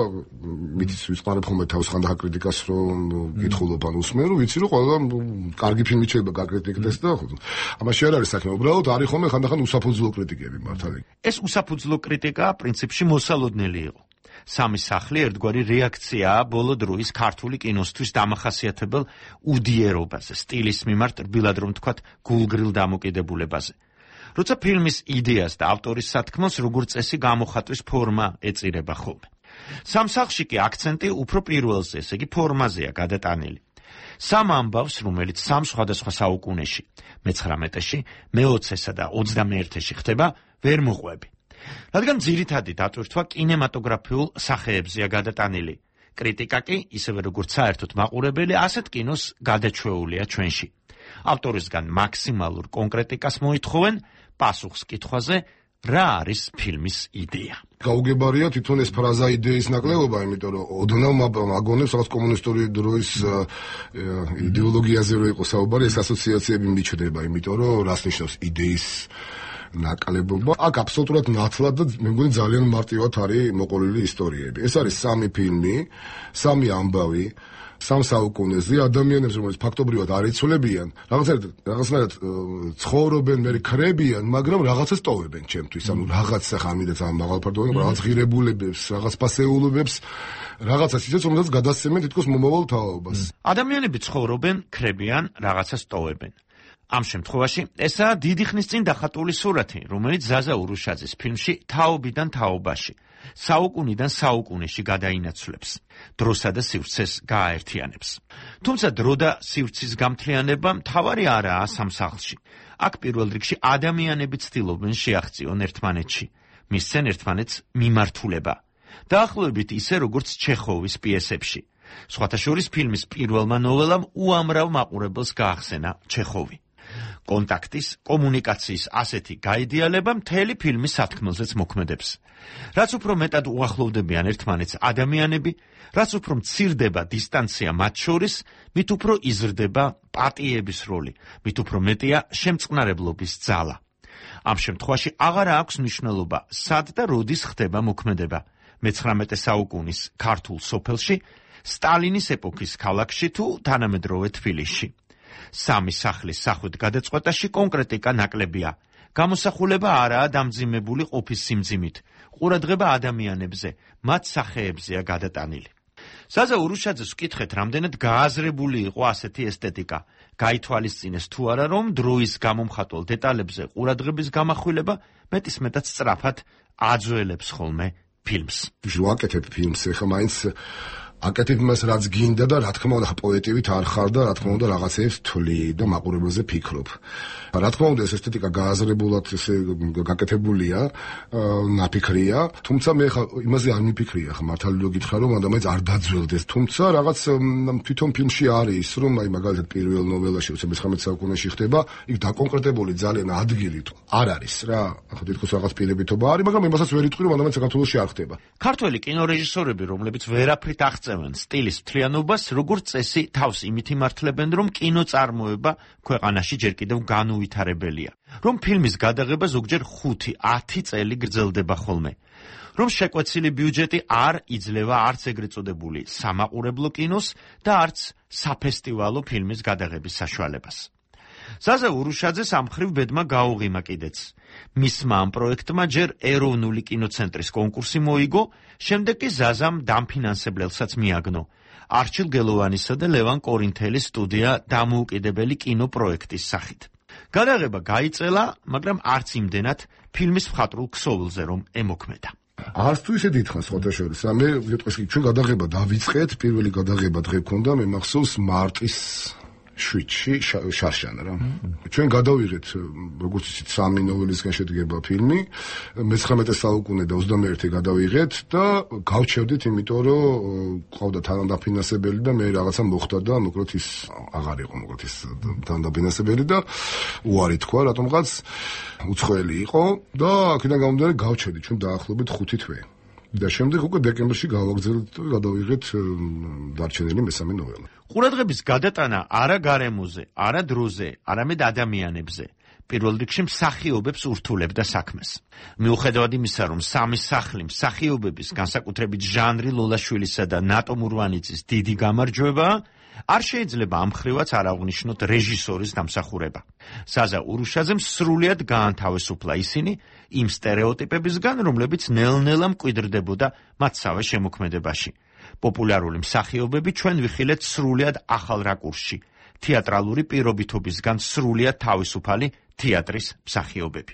მითიც ვიწყარებ ხოლმე თავს ხანდახან კრიტიკას რომ გითხულობ ან უსმენ რომ ვიცი რომ ყველა კარგი ფილმი შეიძლება გაკრიტიკდეს და ამაში არ არის საქმე უბრალოდ არის ხოლმე ხანდახან უსაფუძვლო კრიტიკები მართალი. ეს უსაფუძვლო კრიტიკა პრინციპში მოსალოდნელი იყო. სამი სახლი ერთგვარი რეაქციაა ბოლო დროის ქართული კინოსთვის დამახასიათებელ უდიერობაზე, სტილის მიმართ რბილად რომ თქვათ გულგრილ დამოკიდებულებაზე. როცა ფილმის იდეას და ავტორის სათქმელს როგორც წესი გამოხატვის ფორმა ეწირება ხოლმე. სამ სახლში კი აქცენტი უფრო პირველზე, ესე იგი ფორმაზეა გადატანილი. სამ ამბავს, რომელიც სამ სხვადასხვა საუკუნეში, მეცხრამეტეში, მეოცესა და ოცდამეერთეში ხდება, ვერ მოყვები. რადგან ძირითადი დატვირთვა კინემატოგრაფიულ სახეებზეა გადატანილი. კრიტიკა კი, ისევე როგორც საერთოდ მაყურებელი, ასეთ კინოს გადაჩვეულია ჩვენში. ავტორისგან მაქსიმალურ კონკრეტიკას მოითხოვენ პასუხს კითხვაზე, რა არის ფილმის იდეა. გაუგებარია თვითონ ეს ფრაზა იდეის ნაკლებობა, იმიტომ რომ ოდნავ მაგონებს რაღაც კომუნისტური დროის იდეოლოგიაზე რო იყო საუბარი, ეს ასოციაციები მიჩნდება, იმიტომ რომ რას ნიშნავს იდეის ნაკლებობა. აქ აბსოლუტურად ნათლად და მე მგონი ძალიან მარტივად არის მოყოლილი ისტორიები. ეს არის სამი ფილმი, სამი ამბავი, სამ საუკუნეზე ადამიანებს, რომელიც ფაქტობრივად არ იცოლებიან, რაღაცნაირად რაღაცნაირად ცხოვრობენ, მე ხრებიან, მაგრამ რაღაცას ტოვებენ ჩემთვის. ანუ რაღაც ახლა ამიტომაც ამ მაღალფარდოვანი რაღაც ღირებულებებს, რაღაც ფასეულობებს, რაღაცას ისეც, რომელსაც გადასცემენ თითქოს მომავალ თაობას. ადამიანები ცხოვრობენ, ხრებიან, რაღაცას ტოვებენ. ამ შემთხვევაში ესაა დიდი ხნის წინ დახატული სურათი, რომელიც ზაზა ურუშაძის ფილმში თაობიდან თაობაში, საუკუნიდან საუკუნეში გადაინაცვლებს, დროსა და სივრცეს გააერთიანებს. თუმცა დრო და სივრცის გამთლიანება მთავარი არაა სამ სახლში. აქ პირველ რიგში ადამიანები ცდილობენ შეაღწიონ ერთმანეთში, მისცენ ერთმანეთს მიმართულება. დაახლოებით ისე, როგორც ჩეხოვის პიესებში. სხვათა შორის ფილმის პირველმა ნოველამ უამრავ მაყურებელს გაახსენა ჩეხოვი. კონტაქტის, კომუნიკაციის ასეთი გაიდეალება მთელი ფილმის სათქმელზეც მოქმედებს. რაც უფრო მეტად უახლოვდებიან ერთმანეთს ადამიანები, რაც უფრო მცირდება დისტანცია მათ შორის, მით უფრო იზრდება პატიების როლი, მით უფრო მეტია შემწყნარებლობის ძალა. ამ შემთხვევაში აღარ აქვს მნიშვნელობა, სად და როდის ხდება მოქმედება. მეცხრამეტე საუკუნის ქართულ სოფელში, სტალინის ეპოქის ქალაქში თუ თანამედროვე თბილისში. სამი სახლის სახვით გადაწყვეტაში კონკრეტიკა ნაკლებია. გამოსახულება არაა დამძიმებული ყოფის სიმძიმით. ყურადღება ადამიანებზე, მათ სახეებზეა გადატანილი. ზაზა ურუშაძეს ვკითხეთ, რამდენად გააზრებული იყო ასეთი ესთეტიკა. გაითვალისწინეს თუ არა, რომ დროის გამომხატველ დეტალებზე ყურადღების გამახვილება მეტის მეტად სწრაფად აძველებს ხოლმე ფილმს. ვაკეთებ ფილმს, ეხლა მაინც აკეთებ იმას, რაც გინდა და რა თქმა უნდა პოეტივით არ ხარ და რა თქმა უნდა რაღაცებს თვლი და მაყურებელზე ფიქრობ. რა თქმა უნდა ეს ესთეტიკა გააზრებულად ესე გაკეთებულია, ნაფიქრია, თუმცა მე ხა იმაზე არ მიფიქრია, ხა მართალი რო გითხრა რომ ადამიანს არ დაძველდეს, თუმცა რაღაც თვითონ ფილმში არის, რომ აი მაგალითად პირველ ნოველაში მეცხრამეტე საუკუნეში ხდება, იქ დაკონკრეტებული ძალიან ადგილი თუ არ არის რა, ახლა თითქოს რაღაც პირებითობა არის, მაგრამ იმასაც ვერ იტყვი რომ ადამიანს საქართველოში არ ხდება. ქართველი კინორეჟისორები, რომლებიც ვერაფრით აღწევენ სტილის მთლიანობას, როგორც წესი თავს იმით იმართლებენ, რომ კინოწარმოება ქვეყანაში ჯერ კიდევ განუვითარებელია. რომ ფილმის გადაღება ზოგჯერ ხუთი ათი წელი გრძელდება ხოლმე. რომ შეკვეცილი ბიუჯეტი არ იძლევა არც ეგრეთ წოდებული სამაყურებლო კინოს და არც საფესტივალო ფილმის გადაღების საშუალებას. ზაზა ურუშაძეს ამ მხრივ ბედმა გაუღიმა კიდეც. მისმა ამ პროექტმა ჯერ ეროვნული კინოცენტრის კონკურსი მოიგო, შემდეგ კი ზაზამ დამფინანსებლელსაც მიაგნო. არჩილ გელოვანისა და ლევან კორინთელის სტუდია დამოუკიდებელი კინოპროექტის სახით. გადაღება გაიწელა, მაგრამ არც იმდენად ფილმის მხატვრულ ქსოვილზე რომ ემოქმედა. არც თუ ისე დიდხანს სხვათა შორის. მე ვიტყვი, ჩვენ გადაღება დავიწყეთ, პირველი გადაღება დღე გქონდა, მე მახსოვს მარტის შვიდში შარშან რა. ჩვენ გადავიღეთ, როგორც იცით, სამი ნოველისგან შედგება ფილმი, მეცხრამეტე საუკუნე და ოცდამეერთე გადავიღეთ და გავჩერდით, იმიტომ რომ ყავდა თანადაფინანსებელი და მე რაღაცა მოხდა და მოკლედ ის აღარ იყო, მოკლედ ის თანადაფინანსებელი და უარი თქვა, რატომღაც უცხოელი იყო და აქედან გამომდინარე გავჩერდით ჩვენ დაახლოებით ხუთი თვე. და შემდეგ უკვე დეკემბერში გავაგზავნეთ და გადავიღეთ დარჩენილი მესამე ნოველა. ყურადღების გადატანა არა გარემოზე, არა დროზე, არამედ ადამიანებზე. პირველ რიგში მსახიობებს ურთულებდა საქმეს. მიუხედავად იმისა, რომ სამი სახლი მსახიობების, განსაკუთრებით ჟანრი ლოლაშვილისა და ნატო მურვანიძის დიდი გამარჯვებაა, არ შეიძლება ამ მხრივაც არ აღვნიშნოთ რეჟისორის დამსახურება. საზა ურუშაძემ სრულად გაანთავისუფლა ისინი იმ სტერეოტიპებისგან, რომლებიც ნელ-ნელა მკვიდრდებოდა მათსავე შემოქმედებაში. პოპულარული მსახიობები ჩვენ ვიხილეთ სრულად ახალ რაკურსში, თეატრალური პირობითობისგან სრულად თავისუფალი თეატრის მსახიობები.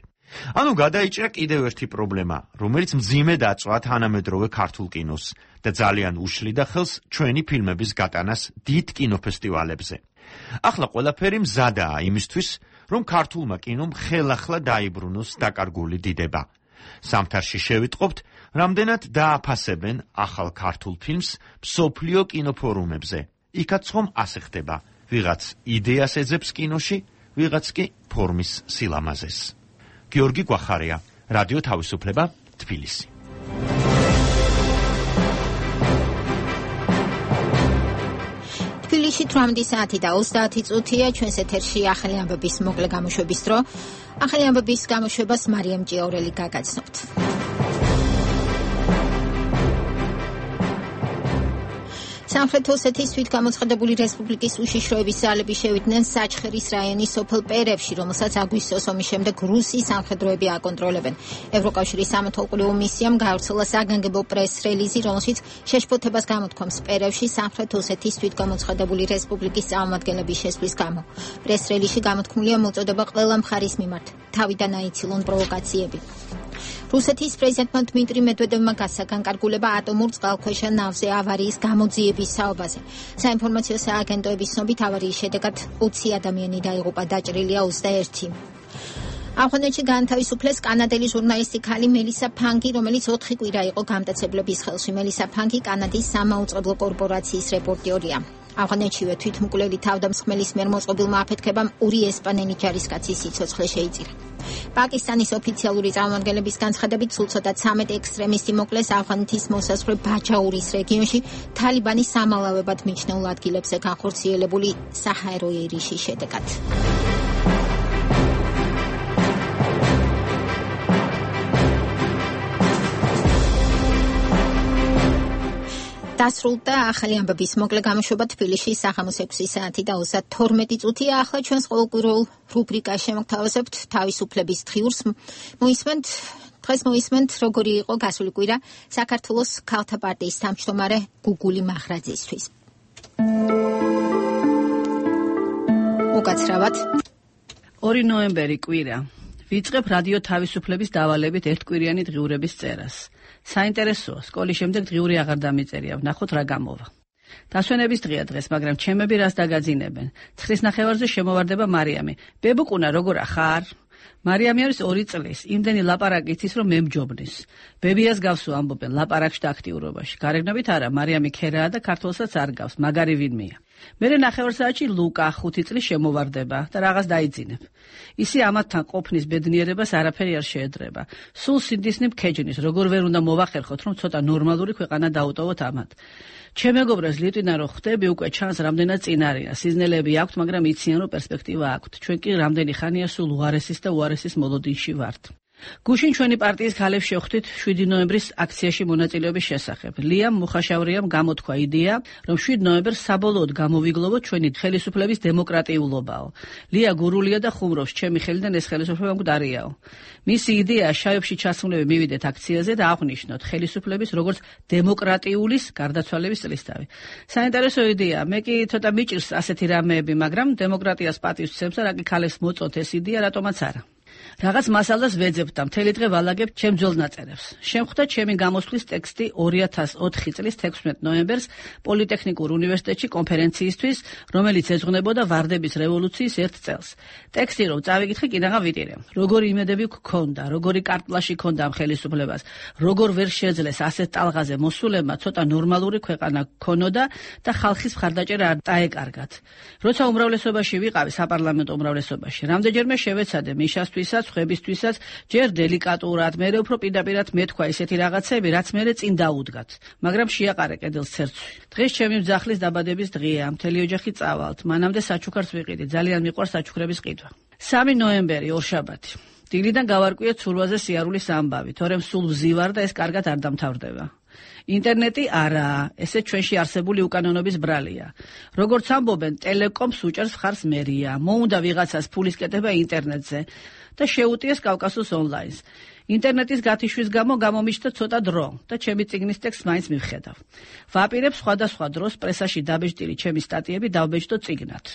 ანუ გადაიჭრა კიდევ ერთი პრობლემა, რომელიც მძიმე დაწვა თანამედროვე ქართულ კინოს და ძალიან უშლიდა ხელს ჩვენი ფილმების გატანას დიდ კინოფესტივალებზე. ახლა ყველაფერი მზადაა იმისთვის, რომ ქართულმა კინომ ხელახლა დაიბრუნოს დაკარგული დიდება. სამთარში შევიტყობთ, რამდენად დააფასებენ ახალ ქართულ ფილმს მსოფლიო კინოფორუმებზე. იქაც ხომ ასე ხდება, ვიღაც იდეას ეძებს კინოში, ვიღაც კი ფორმის სილამაზეს. გიორგი გვახარია, რადიო თავისუფლება, თბილისი. თბილისში თვრამეტი საათი და ოცდაათი წუთია, ჩვენს ეთერში ახალი ამბების მოკლე გამოშვების დრო. ახალი ამბების გამოშვებას მარიამ ჭიაურელი გაგაცნობთ. სამხრეთ ოსეთის თვითგამოცხადებული რესპუბლიკის უშიშროების ძალები შევიდნენ საჩხერის რაიონის სოფელ პერებში, რომელსაც აგვისტოს ომის შემდეგ რუსი სამხედროები აკონტროლებენ. ევროკავშირის სამეთვალყურეო მისიამ გაავრცელა საგანგებო პრეს-რელიზი, რომელშიც შეშფოთებას გამოთქვამს პერებში სამხრეთ ოსეთის თვითგამოცხადებული რესპუბლიკის წარმომადგენლების შესვლის გამო. პრეს-რელიზში გამოთქმულია მოწოდება ყველა მხარის მიმართ თავიდან აიცილონ პროვოკაციები. რუსეთის პრეზიდენტმა დმიტრი მედვედევმა გასაგანგარგულება ატომურ წყალქვეშა ნავზე ავარიის გამოძიების საუბაზე. საინფორმაციო სააგენტოების ცნობით ავარიის შედეგად ოცი ადამიანი დაიღუპა, დაჭრილია ოცდაერთი. ავღანეთში გაანთავისუფლეს კანადელი ჟურნალისტი ქალი მელისა ფანგი, რომელიც ოთხი კვირა იყო გამტაცებლების ხელში. მელისა ფანგი კანადის სამაუწყებლო კორპორაციის რეპორტიორია. ავღანეთშივე თვითმკვლელი თავდამსხმელის მიერ მოწყობილმა აფეთქებამ ორი ესპანელი ჯარისკაცის სიცოცხლე შეიწირა. პაკისტანის ოფიციალური წარმომადგენლების განცხადებით სულ ცოტა ცამეტ ექსტრემისტი მოკლეს ავღანეთის მოსაზღვრე ბაჯაურის რეგიონში თალიბანის სამალავებად მიჩნეულ ადგილებზე განხორციელებული საჰაერო ერიშის შედეგად. დასრულდა ახალი ამბების მოკლე გამოშვება თბილისში საღამოს ექვსი საათი და ოცდათორმეტი წუთია. ახლა ჩვენს ყოველკვირეულ რუბრიკას შემოგთავაზებთ თავისუფლების დღიურს. მოისმენთ დღეს მოისმენთ როგორი იყო გასული კვირა საქართველოს ქალთა პარტიის თავმჯდომარე გუგული მახრაძისთვის. უკაცრავად ორი ნოემბერი კვირა. ვიწყებ რადიო თავისუფლების დავალებით ერთკვირიანი დღიურების წერას. საინტერესოა, სკოლის შემდეგ დღიური აღარ დამიწერია, ვნახოთ რა გამოვა. დასვენების დღეა დღეს, მაგრამ ჩემები რას დაგაძინებენ. ცხრის ნახევარზე შემოვარდება მარიამი. ბებუკუნა, როგორ ახარ? მარიამი არის ორი წლის, იმდენი ლაპარაკი იცის, რომ მემჯობნის. ბებიას გავს ამბობენ ლაპარაკში და აქტიურობაში. გარეგნობით არა, მარიამი ქერაა და ქართველსაც არ გავს, მაგარი ვინმეა. მერე ნახევარ საათში ლუკა ხუთი წლის შემოვარდება და რაღაც დაიძინებ. ისი ამათთან ყოფნის ბედნიერებას არაფერი არ შეედრება. სულ სინდისნი მქეჯნის, როგორ ვერ უნდა მოვახერხოთ, რომ ცოტა ნორმალური ქვეყანა დაუტოვოთ ამათ. ჩემ მეგობრებს ლიტვიდან რო ხვდები, უკვე ჩანს რამდენად წინარია. სიზნელები აქვთ, მაგრამ იციან, რომ პერსპექტივა აქვთ. ჩვენ კი რამდენი ხანია სულ უარესის და უარესის მოლოდინში ვართ. გუშინ ჩვენი პარტიის ქალებს შევხვდით შვიდი ნოემბრის აქციაში მონაწილეობის შესახებ. ლიამ მუხაშავრიამ გამოთქვა იდეა, რომ შვიდი ნოემბერს საბოლოოდ გამოვიგლოვოთ ჩვენი ხელისუფლების დემოკრატიულობაო. ლია გურულია და ხუმრობს, ჩემი ხელიდან ეს ხელისუფლება მკვდარიაო. მისი იდეაა შავებში ჩასმულები მივიდეთ აქციაზე და აღვნიშნოთ ხელისუფლების როგორც დემოკრატიულის გარდაცვალების წლისთავი. საინტერესო იდეაა, მე კი ცოტა მიჭირს ასეთი რამეები, მაგრამ დემოკრატიას პატივს ვცემს და რა კი ქალებს მოწოთ ეს იდეა, რატომაც არა. რაღაც მასალას ვეძებთ და მთელი დღე ვალაგებთ ჩემ ძველ ნაწერებს. შემხვდა ჩემი გამოსვლის ტექსტი ორი ათას ოთხი წლის თექვსმეტ ნოემბერს პოლიტექნიკურ უნივერსიტეტში კონფერენციისთვის, რომელიც ეძღვნებოდა ვარდების რევოლუციის ერთ წელს. ტექსტი რომ წავიკითხე, კიდაღა ვიტირე. როგორი იმედები გქონდა, როგორი კარტლაში ქონდა ამ ხელისუფლებას, როგორ ვერ შეძლეს ასეთ ტალღაზე მოსულებმა ცოტა ნორმალური ქვეყანა ქონოდა და ხალხის მხარდაჭერა არ დაეკარგათ. როცა უმრავლესობაში ვიყავი საპარლამენტო უმრავლესობაში, რამდენჯერმე შევეცადე მიშასთვისაც, ხვებისთვისაც, ჯერ დელიკატურად, მერე უფრო პირდაპირად მეთქვა ისეთი რაღაცები, რაც მერე წინ დაუდგათ, მაგრამ შეაყარე კედელს ცერცვი. დღეს ჩემი მძახლის დაბადების დღეა, მთელი ოჯახი წავალთ, მანამდე საჩუქარს ვიყიდი, ძალიან მიყვარს საჩუქრების ყიდვა. სამი ნოემბერი ორშაბათი. დილიდან გავარკვიეთ სულვაზე სიარულის ამბავი, თორემ სულ ვზივარ და ეს კარგად არ დამთავრდება. ინტერნეტი არაა, ესე ჩვენში არსებული უკანონობის ბრალია. როგორც ამბობენ, ტელეკომს უჭერს მხარს მერია, მოუნდა ვიღაცას ფულის კეთება ინტერნეტზე და შეუტიეს კავკასოს ონლაინს. ინტერნეტის გათიშვის გამო გამომიჩნდა ცოტა დრო და ჩემი წიგნის ტექსტს მაინც მივხედავ. ვაპირებ სხვადასხვა დროს პრესაში დაბეჭდილი ჩემი სტატიები დავბეჭდო წიგნად.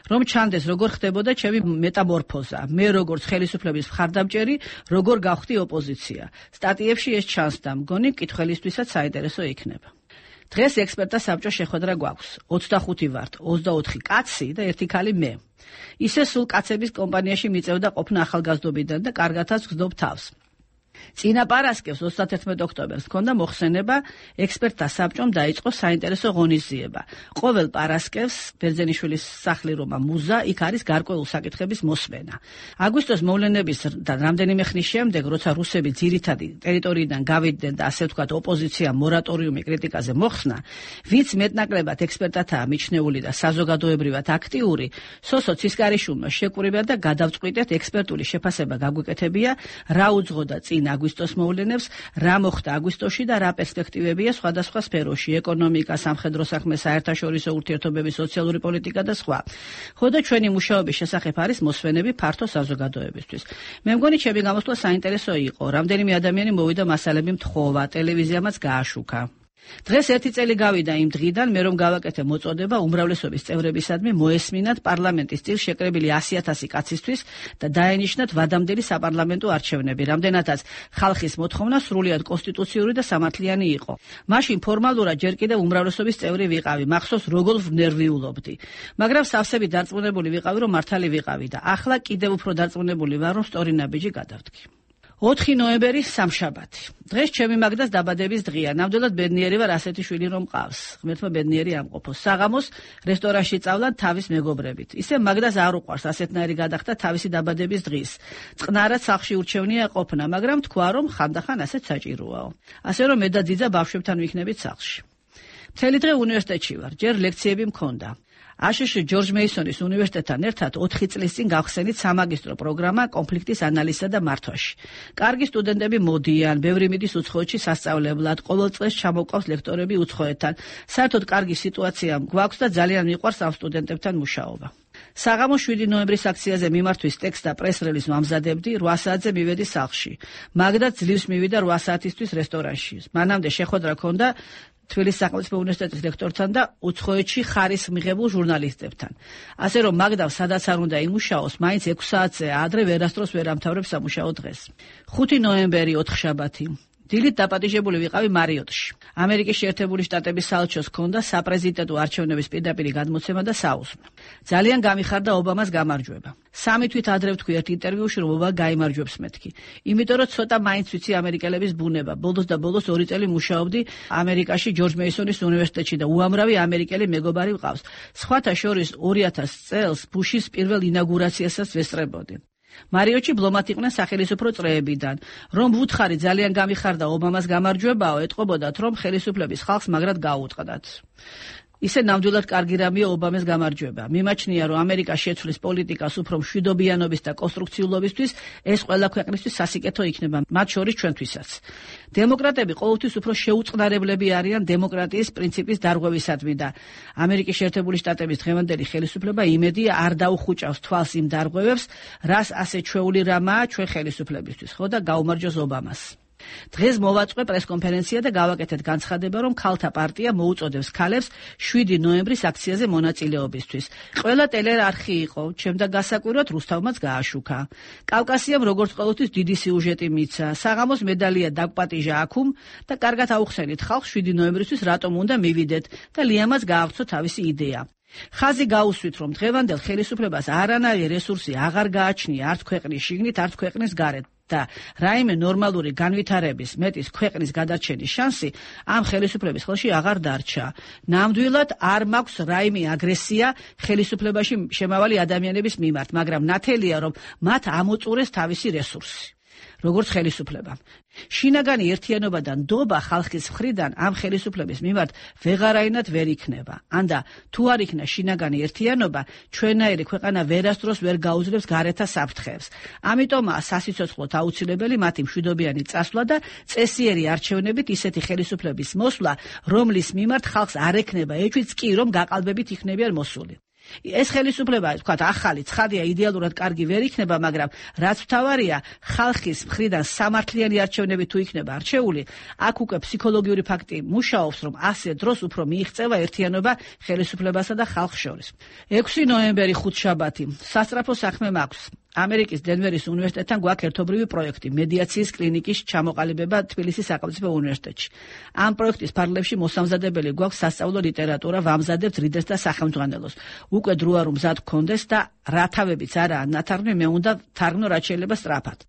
რომ ჩანდეს როგორ ხდებოდა ჩემი მეტამორფოზა, მე როგორც ხელისუფლების მხარდამჭერი, როგორ გავხდი ოპოზიცია. სტატიებში ეს ჩანს და მგონი მკითხველისთვისაც საინტერესო იქნება. დღეს ექსპერტთა საბჭოს შეხვედრა გვაქვს. ოცდახუთი ვართ, ოცდაოთხი კაცი და ერთი ქალი მე. ისე სულ კაცების კომპანიაში მიწევდა ყოფნა ახალგაზრდობიდან და კარგათაც ვგზნობ თავს. წინა პარასკევს ოცდათერთმეტ ოქტომბერს ჰქონდა მოხსენება ექსპერტთა საბჭომ დაიწყო საინტერესო ღონისძიება. ყოველ პარასკევს ბერძენიშვილის სახლი რომა მუზა, იქ არის გარკვეული საკითხების მოსმენა. აგვისტოს მოვლენების და რამდენიმე ხნის შემდეგ, როცა რუსები ძირითადი ტერიტორიიდან გავიდნენ და ასე ვთქვათ ოპოზიციამ მორატორიუმი კრიტიკაზე მოხსნა, ვინც მეტნაკლებად ექსპერტთაა მიჩნეული და საზოგადოებრივად აქტიური, სოსო ცისკარიშვილმა შეკვირება და გადავწყვიტეთ ექსპერტული შეფასება გაგვიკეთებია, რა უძღოდა წინ აგვისტოს მოვლენებს, რა მოხდა აგვისტოში და რა პერსპექტივებია სხვადასხვა სფეროში, ეკონომიკა, სამხედრო საქმე, საერთაშორისო ურთიერთობები, სოციალური პოლიტიკა და სხვა. ხოდა ჩვენი მუშაობის შესახებ არის მოსვენები ფართო საზოგადოებისთვის. მე მგონი ჩემი გამოსვლა საინტერესო იყო, რამდენიმე ადამიანი მოვიდა მასალები მთხოვა, ტელევიზიამაც გააშუქა. დღეს ერთი წელი გავიდა იმ დღიდან, მე რომ გავაკეთე მოწოდება უმრავლესობის წევრებისადმი მოესმინათ პარლამენტის წილ შეკრებილი ასი ათასი კაცისთვის და დაენიშნათ ვადამდელი საპარლამენტო არჩევნები, რამდენადაც ხალხის მოთხოვნა სრულიად კონსტიტუციური და სამართლიანი იყო. მაშინ ფორმალურად ჯერ კიდევ უმრავლესობის წევრი ვიყავი, მახსოვს როგორ ვნერვიულობდი. მაგრამ სავსებით დარწმუნებული ვიყავი, რომ მართალი ვიყავი და ახლა კიდევ უფრო დარწმუნებული ვარ, რომ სწორი ნაბიჯი გადავდგი. ოთხი ნოემბერი სამშაბათი. დღეს ჩემი მაგდას დაბადების დღეა. ნამდვილად ბედნიერი ვარ ასეთი შვილი რომ მყავს. ღმერთმა ბედნიერი ამყოფოს. საღამოს რესტორანში წავლა თავის მეგობრებით. ისე მაგდას არ უყვარს ასეთნაირი გადახდა თავისი დაბადების დღის. წყნარად სახლში ურჩევნია ყოფნა, მაგრამ თქვა რომ ხანდახან ასეც საჭიროაო. ასე რომ მე და ძიძა ბავშვებთან ვიქნებით სახლში. მთელი დღე უნივერსიტეტში ვარ. ჯერ ლექციები მქონდა. აშშ ჯორჯ მეისონის უნივერსიტეტთან ერთად ოთხი წლის წინ გავხსენით სამაგისტრო პროგრამა კონფლიქტის ანალიზსა და მართვაში. კარგი სტუდენტები მოდიან, ბევრი მიდის უცხოეთში სასწავლებლად, ყოველ წელს ჩამოყავს ლექტორები უცხოეთთან. საერთოდ კარგი სიტუაცია გვაქვს და ძალიან მიყვარს ამ სტუდენტებთან მუშაობა. საღამოს შვიდი ნოემბრის აქციაზე მიმართვის ტექსტ და პრეს-რელიზს ვამზადებდი, რვა საათზე მივედი სახლში. მაგდაც ძლივს მივიდა რვა საათისთვის რესტორანში. მანამდე შეხვედრა ჰქონდა თბილისის სახელმწიფო უნივერსიტეტის ლექტორთან და უცხოეთში ხარისხს მიღებულ ჟურნალისტებთან. ასე რომ მაგდამ სადაც არ უნდა იმუშაოს, მაინც ექვს საათზე ადრე ვერასდროს ვერ ამთავრებს სამუშაო დღეს. ხუთი ნოემბერი ოთხშაბათი. დილით დაპატიჟებული ვიყავი მარიოტში. ამერიკის შეერთებული შტატების საელჩოს ჰქონდა საპრეზიდენტო არჩევნების პირდაპირი გადმოცემა და საუზმე. ძალიან გამიხარდა ობამას გამარჯვება. სამი თვით ადრე ვთქვი ერთ ინტერვიუში, რომ ობამა გაიმარჯვებს მეთქი. იმიტომ რომ ცოტა მაინც ვიცი ამერიკელების ბუნება. ბოლოს და ბოლოს ორი წელი მუშაობდი ამერიკაში ჯორჯ მეისონის უნივერსიტეტში და უამრავი ამერიკელი მეგობარი ვყავს. სხვათა შორის ორი ათას წელს ბუშის პირველ ინაგურაციასაც ვესწრებოდი. მარიოტში ბლომად იყვნენ სახელისუფრო წრეებიდან. რომ ვუთხარი ძალიან გამიხარდა ობამას გამარჯვებაო, ეტყობოდათ, რომ ხელისუფლების ხალხს მაგრად გაუუტყდათ. ისე ნამდვილად კარგი რამეა ობამას გამარჯვება. მიმაჩნია, რომ ამერიკა შეცვლის პოლიტიკას უფრო მშვიდობიანობის და კონსტრუქციულობისთვის, ეს ყველა ქვეყნისთვის სასიკეთო იქნება, მათ შორის ჩვენთვისაც. დემოკრატები ყოველთვის უფრო შეუწყნარებლები არიან დემოკრატიის პრინციპის დარღვევისადმი და ამერიკის შეერთებული შტატების დღევანდელი ხელისუფლება იმედია არ დაუხუჭავს თვალს იმ დარღვევებს, რას ასე ჩვეული რამაა ჩვენ ხელისუფლებისთვის, ხო და გაუმარჯოს ობამას. დღეს მოვაწყვე პრესკონფერენცია და გავაკეთეთ განცხადება, რომ ქალთა პარტია მოუწოდებს ქალებს შვიდი ნოემბრის აქციაზე მონაწილეობისთვის. ყველა ტელეარხი იყო, ჩემდა გასაკვირვად რუსთავმაც გააშუქა. კავკასიამ როგორც ყოველთვის დიდი სიუჟეტი მიცა. საღამოს მედალია დაგვპატიჟა აქუმ და კარგად აუხსენით ხალხს შვიდი ნოემბრისთვის რატომ უნდა მივიდეთ და ლიამაც გააღწო თავისი იდეა. ხაზი გაუსვით, რომ დღევანდელ ხელისუფლებას არანაირი რესურსი აღარ გააჩნია არც ქვეყნის შიგნით, არც ქვეყნის გარეთ. და რაიმე ნორმალური განვითარების მეტის ქვეყნის გადარჩენის შანსი ამ ხელისუფლების ხელში აღარ დარჩა. ნამდვილად არ მაქვს რაიმე აგრესია ხელისუფლებაში შემავალი ადამიანების მიმართ, მაგრამ ნათელია, რომ მათ ამოწურეს თავისი რესურსი. როგორც ხელისუფლებამ. შინაგანი ერთიანობა და ნდობა ხალხის მხრიდან ამ ხელისუფლების მიმართ ვეღარაინად ვერ იქნება. ანდა თუ არ იქნა შინაგანი ერთიანობა, ჩვენაირი ქვეყანა ვერასდროს ვერ გაუძლებს გარეთა საფრთხეებს. ამიტომაა სასიცოცხლოდ აუცილებელი მათი მშვიდობიანი წასვლა და წესიერი არჩევნებით ისეთი ხელისუფლების მოსვლა, რომლის მიმართ ხალხს არ ექნება ეჭვიც კი, რომ გაყალბებით იქნებიან მოსული. ეს ხელისუფლება, თქვათ, ახალი, ცხადია, იდეალურად კარგი ვერ იქნება, მაგრამ რაც მთავარია, ხალხის მხრიდან სამართლიანი არჩევნები თუ იქნება არჩეული, აქ უკვე ფსიქოლოგიური ფაქტი მუშაობს, რომ ასე დროს უფრო მიიღწევა ერთიანობა ხელისუფლებასა და ხალხს შორის. ექვსი ნოემბერი ხუთშაბათი. სასწრაფო საქმე მაქვს. ამერიკის დენვერის უნივერსიტეტთან გვაქვს ერთობრივი პროექტი მედიაციის კლინიკის ჩამოყალიბება თბილისის სახელმწიფო უნივერსიტეტში. ამ პროექტის ფარგლებში მოსამზადებელი გვაქვს სასწავლო ლიტერატურა, ვამზადებთ რიდეს და სახელმძღვანელოს. უკვე დროა რომ მზად გქონდეს და რათავებიც არაა ნათარგმნი, მე უნდა თარგმნო რაც შეიძლება სწრაფად.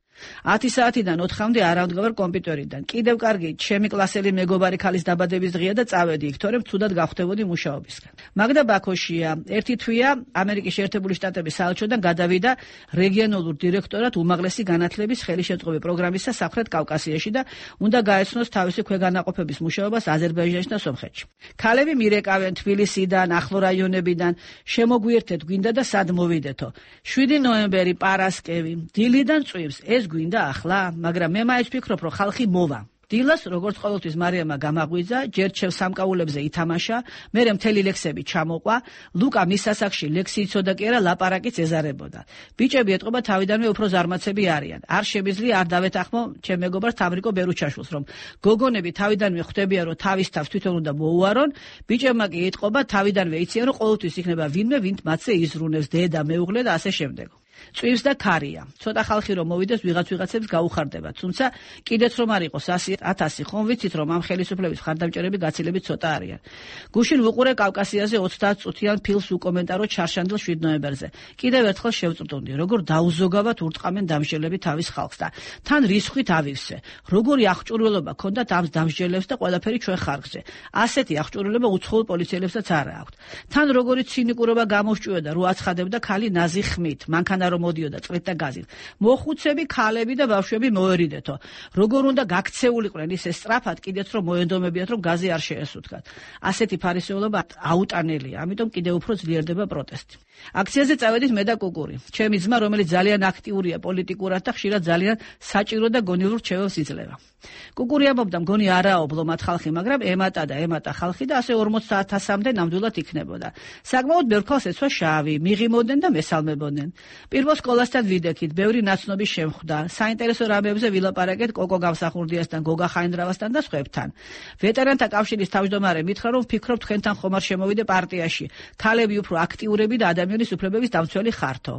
ათი საათიდან ოთხამდე არ ამდგარ კომპიუტერიდან. კიდევ კარგი, ჩემი კლასელი მეგობარი ქალის დაბადების დღეა და წავედი იქ, თორემ ცუდად გავხდებოდი მუშაობისგან. მაგდა ბაქოშია, ერთი თვეა ამერიკის შეერთებული შტატების საელჩოდან გადავიდა რეგიონალურ დირექტორად უმაღლესი განათლების ხელშეწყობი პროგრამისა სამხრეთ კავკასიაში და უნდა გაეცნოს თავისი ქვეგანაყოფების მუშაობას აზერბაიჯანში და სომხეთში. ქალები მირეკავენ თბილისიდან, ახლო რაიონებიდან, შემოგვიერთეთ გვინდა და სად მოვიდეთო. შვიდი ნოემბერი პარასკევი, დილიდან წვიმს, ეს გვინდა ახლა, მაგრამ მე მაინც ვფიქრობ, რომ ხალხი მოვა. დილას, როგორც ყოველთვის მარიამა გამაღვიძა, ჯერ ჩემ სამკაულებზე ითამაშა, მერე მთელი ლექსები ჩამოყვა, ლუკა მის სასახში ლექსი იცოდა კი არა, ლაპარაკიც ეზარებოდა. ბიჭები ეტყობა თავიდანვე უფრო ზარმაცები არიან. არ შემიძლია არ დავეთანხმო ჩემ მეგობარს თამრიკო ბერუჩაშვილს, რომ გოგონები თავიდანვე ხვდებიან, რომ თავის თავს თვითონ უნდა მოუარონ, ბიჭებმა კი ეტყობა თავიდანვე იციან, რომ ყოველთვის იქნება ვინმე, ვინც მათზე იზრუნებს, დედა, მეუღლე და ასე შემდეგ. წვიმს და ქარია. ცოტა ხალხი რომ მოვიდეს, ვიღაც ვიღაცებს გაუხარდება. თუმცა კიდეც რომ არ იყოს ათასი, ხომ ვიცით, რომ ამ ხელისუფლების მხარდამჭერები გაცილებით ცოტა არიან. გუშინ ვუყურე კავკასიაზე ოცდაათ წუთიან ფილმს უკომენტარო ჩარშანდელ შვიდ ნოემბერზე. კიდევ ერთხელ შევწრდომდი, როგორ დაუზოგავად ურტყამენ დამსჯელები თავის ხალხს და თან რისხვით ავივსე. როგორი აღჭურვილობა ქონდათ ამ დამსჯელებს და ყველაფერი ჩვენ ხარჯზე. ასეთი აღჭურვილობა უცხოურ პოლიციელებსაც არ აქვთ. თან როგორი ცინიკურობა გამოსჭუედა, რო აცხადებდა ქალი ნაზი ხმით, მანქანა რომ მოდიოდა წყლით და გაზით. მოხუცები, ქალები და ბავშვები მოერიდეთო. როგორ უნდა გაქცეულიყვნენ ისე სწრაფად, კიდეც რომ მოენდომებიათ, რომ გაზი არ შეესუთქათ. ასეთი ფარისეულობა აუტანელია, ამიტომ კიდევ უფრო ძლიერდება პროტესტი. აქციაზე წავედით მე და კუკური. ჩემი ძმა, რომელიც ძალიან აქტიურია პოლიტიკურად და ხშირად ძალიან საჭირო და გონივრ რჩევებს იძლევა. კუკური ამბობდა, მგონი არაობლო მათ ხალხი, მაგრამ ემატა და ემატა ხალხი და ასე ორმოც საათასამდე ნამდვილად იქნებოდა. საკმაოდ ბევრ ხალხს ეცვა შავი, მიღიმოდნენ და მესალმებოდნენ. პირველ სკოლასთან ვიდექით, ბევრი ნაცნობი შემხვდა. საინტერესო რამებზე ვილაპარაკეთ კოკო გამსახურდიასთან, გოგა ხაინდრავასთან და სხვებთან. ვეტერანთა კავშირის თავმჯდომარე მითხრა, რომ ვფიქრობ თქვენთან ხომ არ შემოვიდე პარტიაში. ქალები უფრო აქტიურები და ადამიანის უფლებების დამცველი ხართო.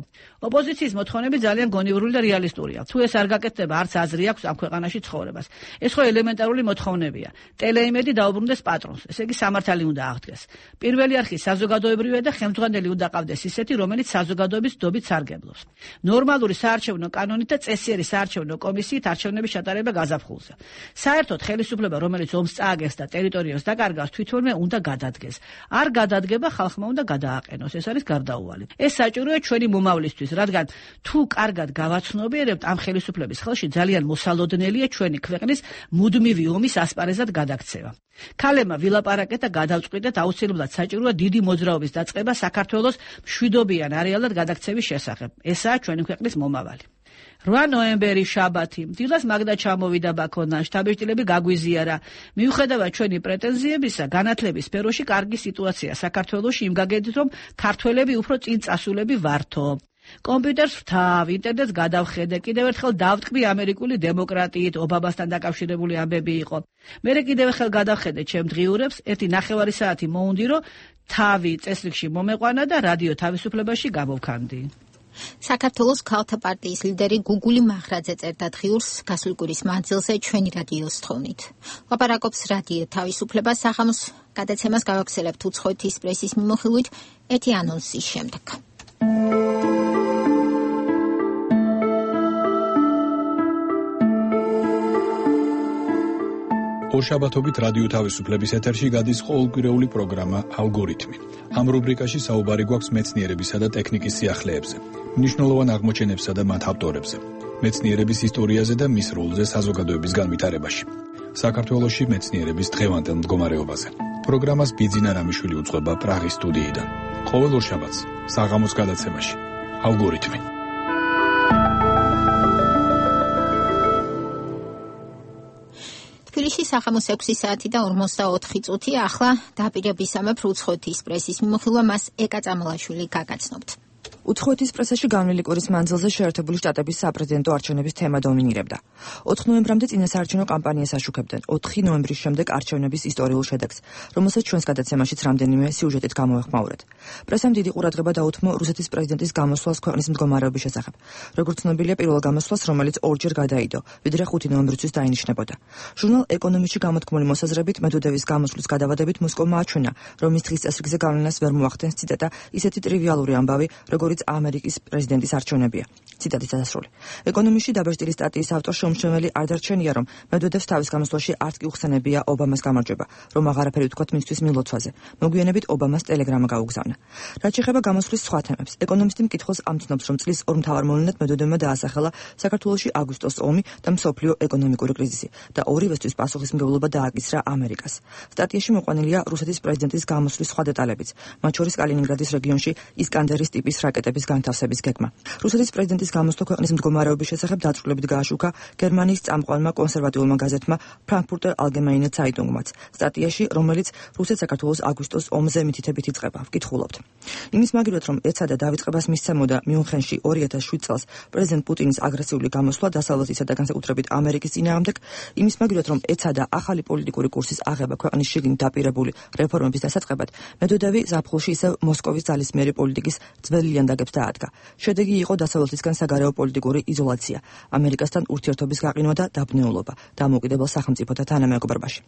ოპოზიციის მოთხოვნები ძალიან გონივრული და რეალისტურია. თუ ეს არ გაკეთდება, არც აზრი აქვს ამ ქვეყანაში ცხოვრებას. ეს ხო ელემენტარული მოთხოვნებია. ტელეიმედი დაუბრუნდეს პატრონს, ესე იგი სამართალი უნდა აღდგეს. პირველი არხი საზოგადოებრივია და ხელმძღვანელი უნდა ყავდეს ისეთი, რომელიც საზოგადოების დობით სარგებლობს. ნორმალური საარჩევნო კანონით და წესიერი საარჩევნო კომისიით არჩევნების ჩატარება გაზაფხულზე. საერთოდ ხელისუფლება, რომელიც ომს წააგებს და ტერიტორიას დაკარგავს, თვითონვე უნდა გადადგეს. არ გადადგება, ხალხმა უნდა გადააყენოს. ეს არის გარდაუვალი. ეს საჭიროა ჩვენი მომავლისთვის, რადგან თუ კარგად გავაცნობიერებთ, ამ ხელისუფლების ხელში ძალიან მოსალოდნელია ჩვენი ქვეყნის მუდმივი ომის ასპარეზად გადაქცევა. ქალებმა ვილაპარაკეთ და გადავწყვიტეთ, აუცილებლად საჭიროა დიდი მოძრაობის დაწყება საქართველოს მშვიდობიან არეალად გადაქცევის შესახებ. ესაა ჩვენი ქვეყნის მომავალი. რვა ნოემბერი შაბათი. დილას მაგდა ჩამოვიდა ბაქოდან, შტაბ-ბიჭდილები გაგვიზიარა. მიუხედავად ჩვენი პრეტენზიებისა, განათლების სფეროში კარგი სიტუაცია საქართველოში იმ გაგებით, რომ ქართველები უფრო წინ წასულები ვართო. კომპიუტერს ვთავ, ინტერნეტს გადავხედე, კიდევ ერთხელ დავტკბი ამერიკული დემოკრატიით, ობამასთან დაკავშირებული ამბები იყო. მერე კიდევ ერთხელ გადავხედე ჩემ დღიურებს, ერთი ნახევარი საათი მოუნდირო, თავი წესრიგში მომეყვანა და რადიო თავისუფლებაში გამოვქანდი. საქართველოს ქალთა პარტიის ლიდერი გუგული მახრაძე წერდა დღიურს გასული კვირის მანძილზე ჩვენი რადიოს თხოვნით. ლაპარაკობს რადიო თავისუფლება საღამოს გადაცემას გავაგზავნებთ უცხოეთის პრესის მიმოხილვით ეთი ანონსის შემდეგ. ორშაბათობით რადიო თავისუფლების ეთერში გადის ყოველკვირეული პროგრამა ალგორითმი. ამ რუბრიკაში საუბარი გვაქვს მეცნიერებისა და ტექნიკის სიახლეებზე, მნიშვნელოვან აღმოჩენებსა და მათ ავტორებზე. მეცნიერების ისტორიაზე და მის როლზე საზოგადოების განვითარებაში. საქართველოში მეცნიერების დღევანდელ მდგომარეობაზე. პროგრამას ბიძინა რამიშვილი უძღვება პრაღის სტუდიიდან. ყოველ ორშაბათს საღამოს გადაცემაში. ალგორითმი. თბილისში საღამოს ექვსი საათი და ორმოცდაოთხი წუთი. ახლა დაპირებისამებრ უცხოეთის პრესის მიმოხილვა მას ეკა წამალაშვილი გაგაცნობთ. უცხოეთის პრესაში განვლილი კვირის მანძილზე შეერთებული შტატების საპრეზიდენტო არჩევნების თემა დომინირებდა. ოთხ ნოემბრამდე წინასაარჩევნო კამპანიას აშუქებდნენ. ოთხი ნოემბრის შემდეგ არჩევნების ისტორიულ შედეგს, რომელსაც ჩვენს გადაცემაშიც რამდენიმე სიუჟეტით გამოვეხმაურეთ. პრესამ დიდი ყურადღება დაუთმო რუსეთის პრეზიდენტის გამოსვლას ქვეყნის მდგომარეობის შესახებ. როგორც ცნობილია, პირველ გამოსვლას, რომელიც ორჯერ გადაიდო, ვიდრე ხუთი ნოემბრისთვის დაინიშნებოდა. ჟურნალ ეკონომისტში გამოთქმული მოსაზრებით, მედვედევის გამოსვლის გადავადებით მოსკოვმა აჩვენა, რომ ის დღის წესრიგზე გავლენას ვერ მოახდენს, ციტატა, ისეთი ტრივიალური ამბავი, როგორც ამერიკის პრეზიდენტის არჩევნებია. ციტატის დასასრული. ეკონომისტში დაბეჭდილი სტატიის ავტორ შეუმჩნეველი არ დარჩენია, რომ მედვედევს თავის გამოსვლაში არც კი უხსენებია ობამას გამარჯვება, რომ აღარაფერი ვთქვათ მისთვის მილოცვაზე. მოგვიანებით ობამას ტელეგრამა გაუგზავნა. რაც შეეხება გამოსვლის სხვა თემებს, ეკონომისტი მკითხველს ამცნობს, რომ წლის ორ მთავარ მოვლენად მედვედევმა დაასახელა საქართველოში აგვისტოს ომი და მსოფლიო ეკონომიკური კრიზისი და ორივესთვის პასუხისმგებლობა დააკისრა ამერიკას. სტატიაში მოყვანილია რუსეთის პრეზიდენტის გამოსვლის სხვა დეტალებიც, მათ შორის კალინინგრადის რეგიონში ისკანდერის ტიპის რაკეტების განთავსების გეგმა. რუსეთის პრეზიდენტის გამოსვლა ქვეყნის მდგომარეობის შესახებ დაწვრილებით გააშუქა გერმანიის წამყვანმა კონსერვატიულმა გაზეთმა ფრანკფურტერ ალგემაინე ცაიტუნგმაც სტატიაში, რომელიც რუსეთ-საქართველოს აგვისტოს ომზე მითითებით იწყება. ვკითხულობთ. იმის მაგივრად, რომ ეცადა დავიწყებას მისცემოდა მიუნხენში ორი ათას შვიდ წელს პრეზიდენტ პუტინის აგრესიული გამოსვლა დასავლეთისა და განსაკუთრებით ამერიკის წინააღმდეგ, იმის მაგივრად, რომ ეცადა ახალი პოლიტიკური კურსის აღება ქვეყნის შიგნით დაპირებული რეფორმების დასაწყებად, მედვედევი ზაფხულში ისევ მოსკოვის ძალისმიერი პოლიტიკის ძველი ლიანდაგებს დაადგა. შედეგი იყო დასავლეთისგან საგარეო პოლიტიკური იზოლაცია, ამერიკასთან ურთიერთობის გაყინვა და დაბნეულობა დამოუკიდებელ სახელმწიფოთა თანამეგობრობაში.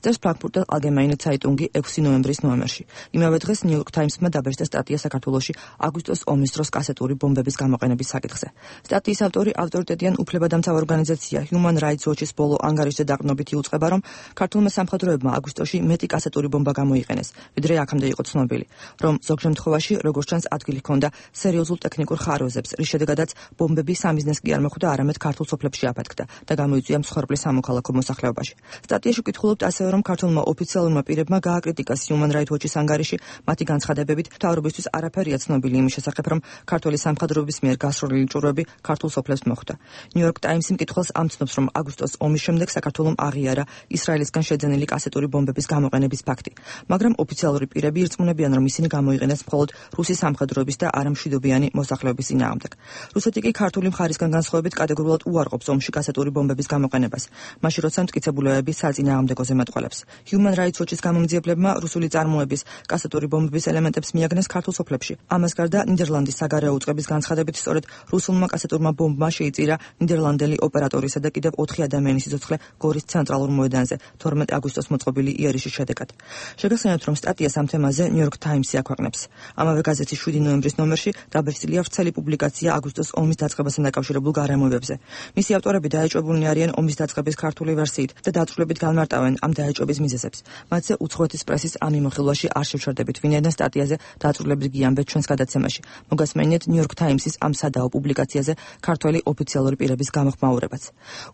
წერს ფრანკფურტერ ალგემაინე ცაიტუნგი ექვსი ნოემბრის ნოემერში. იმავე დღეს ნიუ-იორკ ტაიმსმა დაბეჭდა სტატია საქართველოში აგვისტოს ომის დროს კასეტური ბომბების გამოყენების საკითხზე. სტატიის ავტორი ავტორიტეტიან უფლებადამცავ ორგანიზაცია Human Rights Watch-ის ბოლო ანგარიშზე დაყრდნობით იუწყება, რომ ქართულმა სამხედროებმა აგვისტოში მეტი კასეტური ბომბა გამოიყენეს, ვიდრე აქამდე იყო ცნობილი, რომ ზოგ შემთხვევაში, როგორც ჩანს, ადგილი ჰქონდა სერიოზულ ტექნიკურ ხარვეზებს, რის შედეგადაც ბომბები სამიზნეს კი არ მოხვდა, არამედ ქართულ სოფლებში აფეთქდა და გამოიწვია მსხვერპლის სამოქალაქო მოსახლეობაში. სტატიაში ვკითხულობთ ასევე, რომ ქართულმა ოფიციალურმა პირებმა გააკრიტიკას Human Rights Watch-ის ანგარიში, მათი განცხადებებით, მთავრობისთვის არაფერია ცნობილი იმის შესახებ, რომ ქართული სამხედროების მიერ გასროლილი ჭურვები ქართულ სოფლებს მოხვდა. ნიუ-იორკ ტაიმსი მკითხველს ამცნობს, რომ აგვისტოს ომის შემდეგ საქართველომ აღიარა ისრაელისგან შეძენილი კასეტური ბომბების გამოყენების ფაქტი, მაგრამ ოფიციალური პირები ირწმუნებიან, რომ ისინი გამოიყენეს მხოლოდ რუსის სამხედროების და არამშვიდობიანი მოსახლეობის წინააღმდეგ. რუსეთი კი ქართული მხარისგან განსხვავებით კატეგორიულად უარყოფს ომში კასეტური ბომბების გამოყენებას, მაშინ როცა მტკიცებულებები საწინააღმდეგო ზემატყველებს. Human Rights Watch-ის გამომძიებლებმა რუსული წარმოების კასეტური ბომბების ელემენტებს მიაგნეს ქართულ სოფლებში. ამას გარდა ნიდერლანდის საგარეო უწყების განცხადებით, სწორედ რუსულმა კასეტურმა ბომბმა შეიწირა ნიდერლანდელი ოპერატორისა და კიდევ ოთხი ადამიანის სიცოცხლე გორის ცენტრალურ მოედანზე თორმეტი აგვისტოს მოწყობილი იერიშის შედეგად. შეგახსენებთ, რომ სტატიას ამ თემაზე ნიუ-იორკ ტაიმსი აქვეყნებს. ამავე გაზეთის შვიდი ნოემბრის ნომერში დაბეჭდილია ვრცელი პუბლიკაცია აგვისტოს ომის დაწყებასთან დაკავშირებულ გარემოებებზე. მისი ავტორები დაეჭვებულნი არიან ომის დაწყების ქართული ვერსიით და დაწვრილებით განმარტავენ ამ დაეჭვების მიზეზებს. მათზე უცხოეთის პრესის ამ მიმოხილვაში არ შევჩერდებით, ვინაიდან სტატიაზე დაწვრილებით გიამბეთ ჩვენს გადაცემაში. მოგესმენიეთ ნიუ-იორკ ტაიმსის ამ სადაო პუბლიკაციაზე ქართველი ოფიციალური პირების გამოხმაურებაც.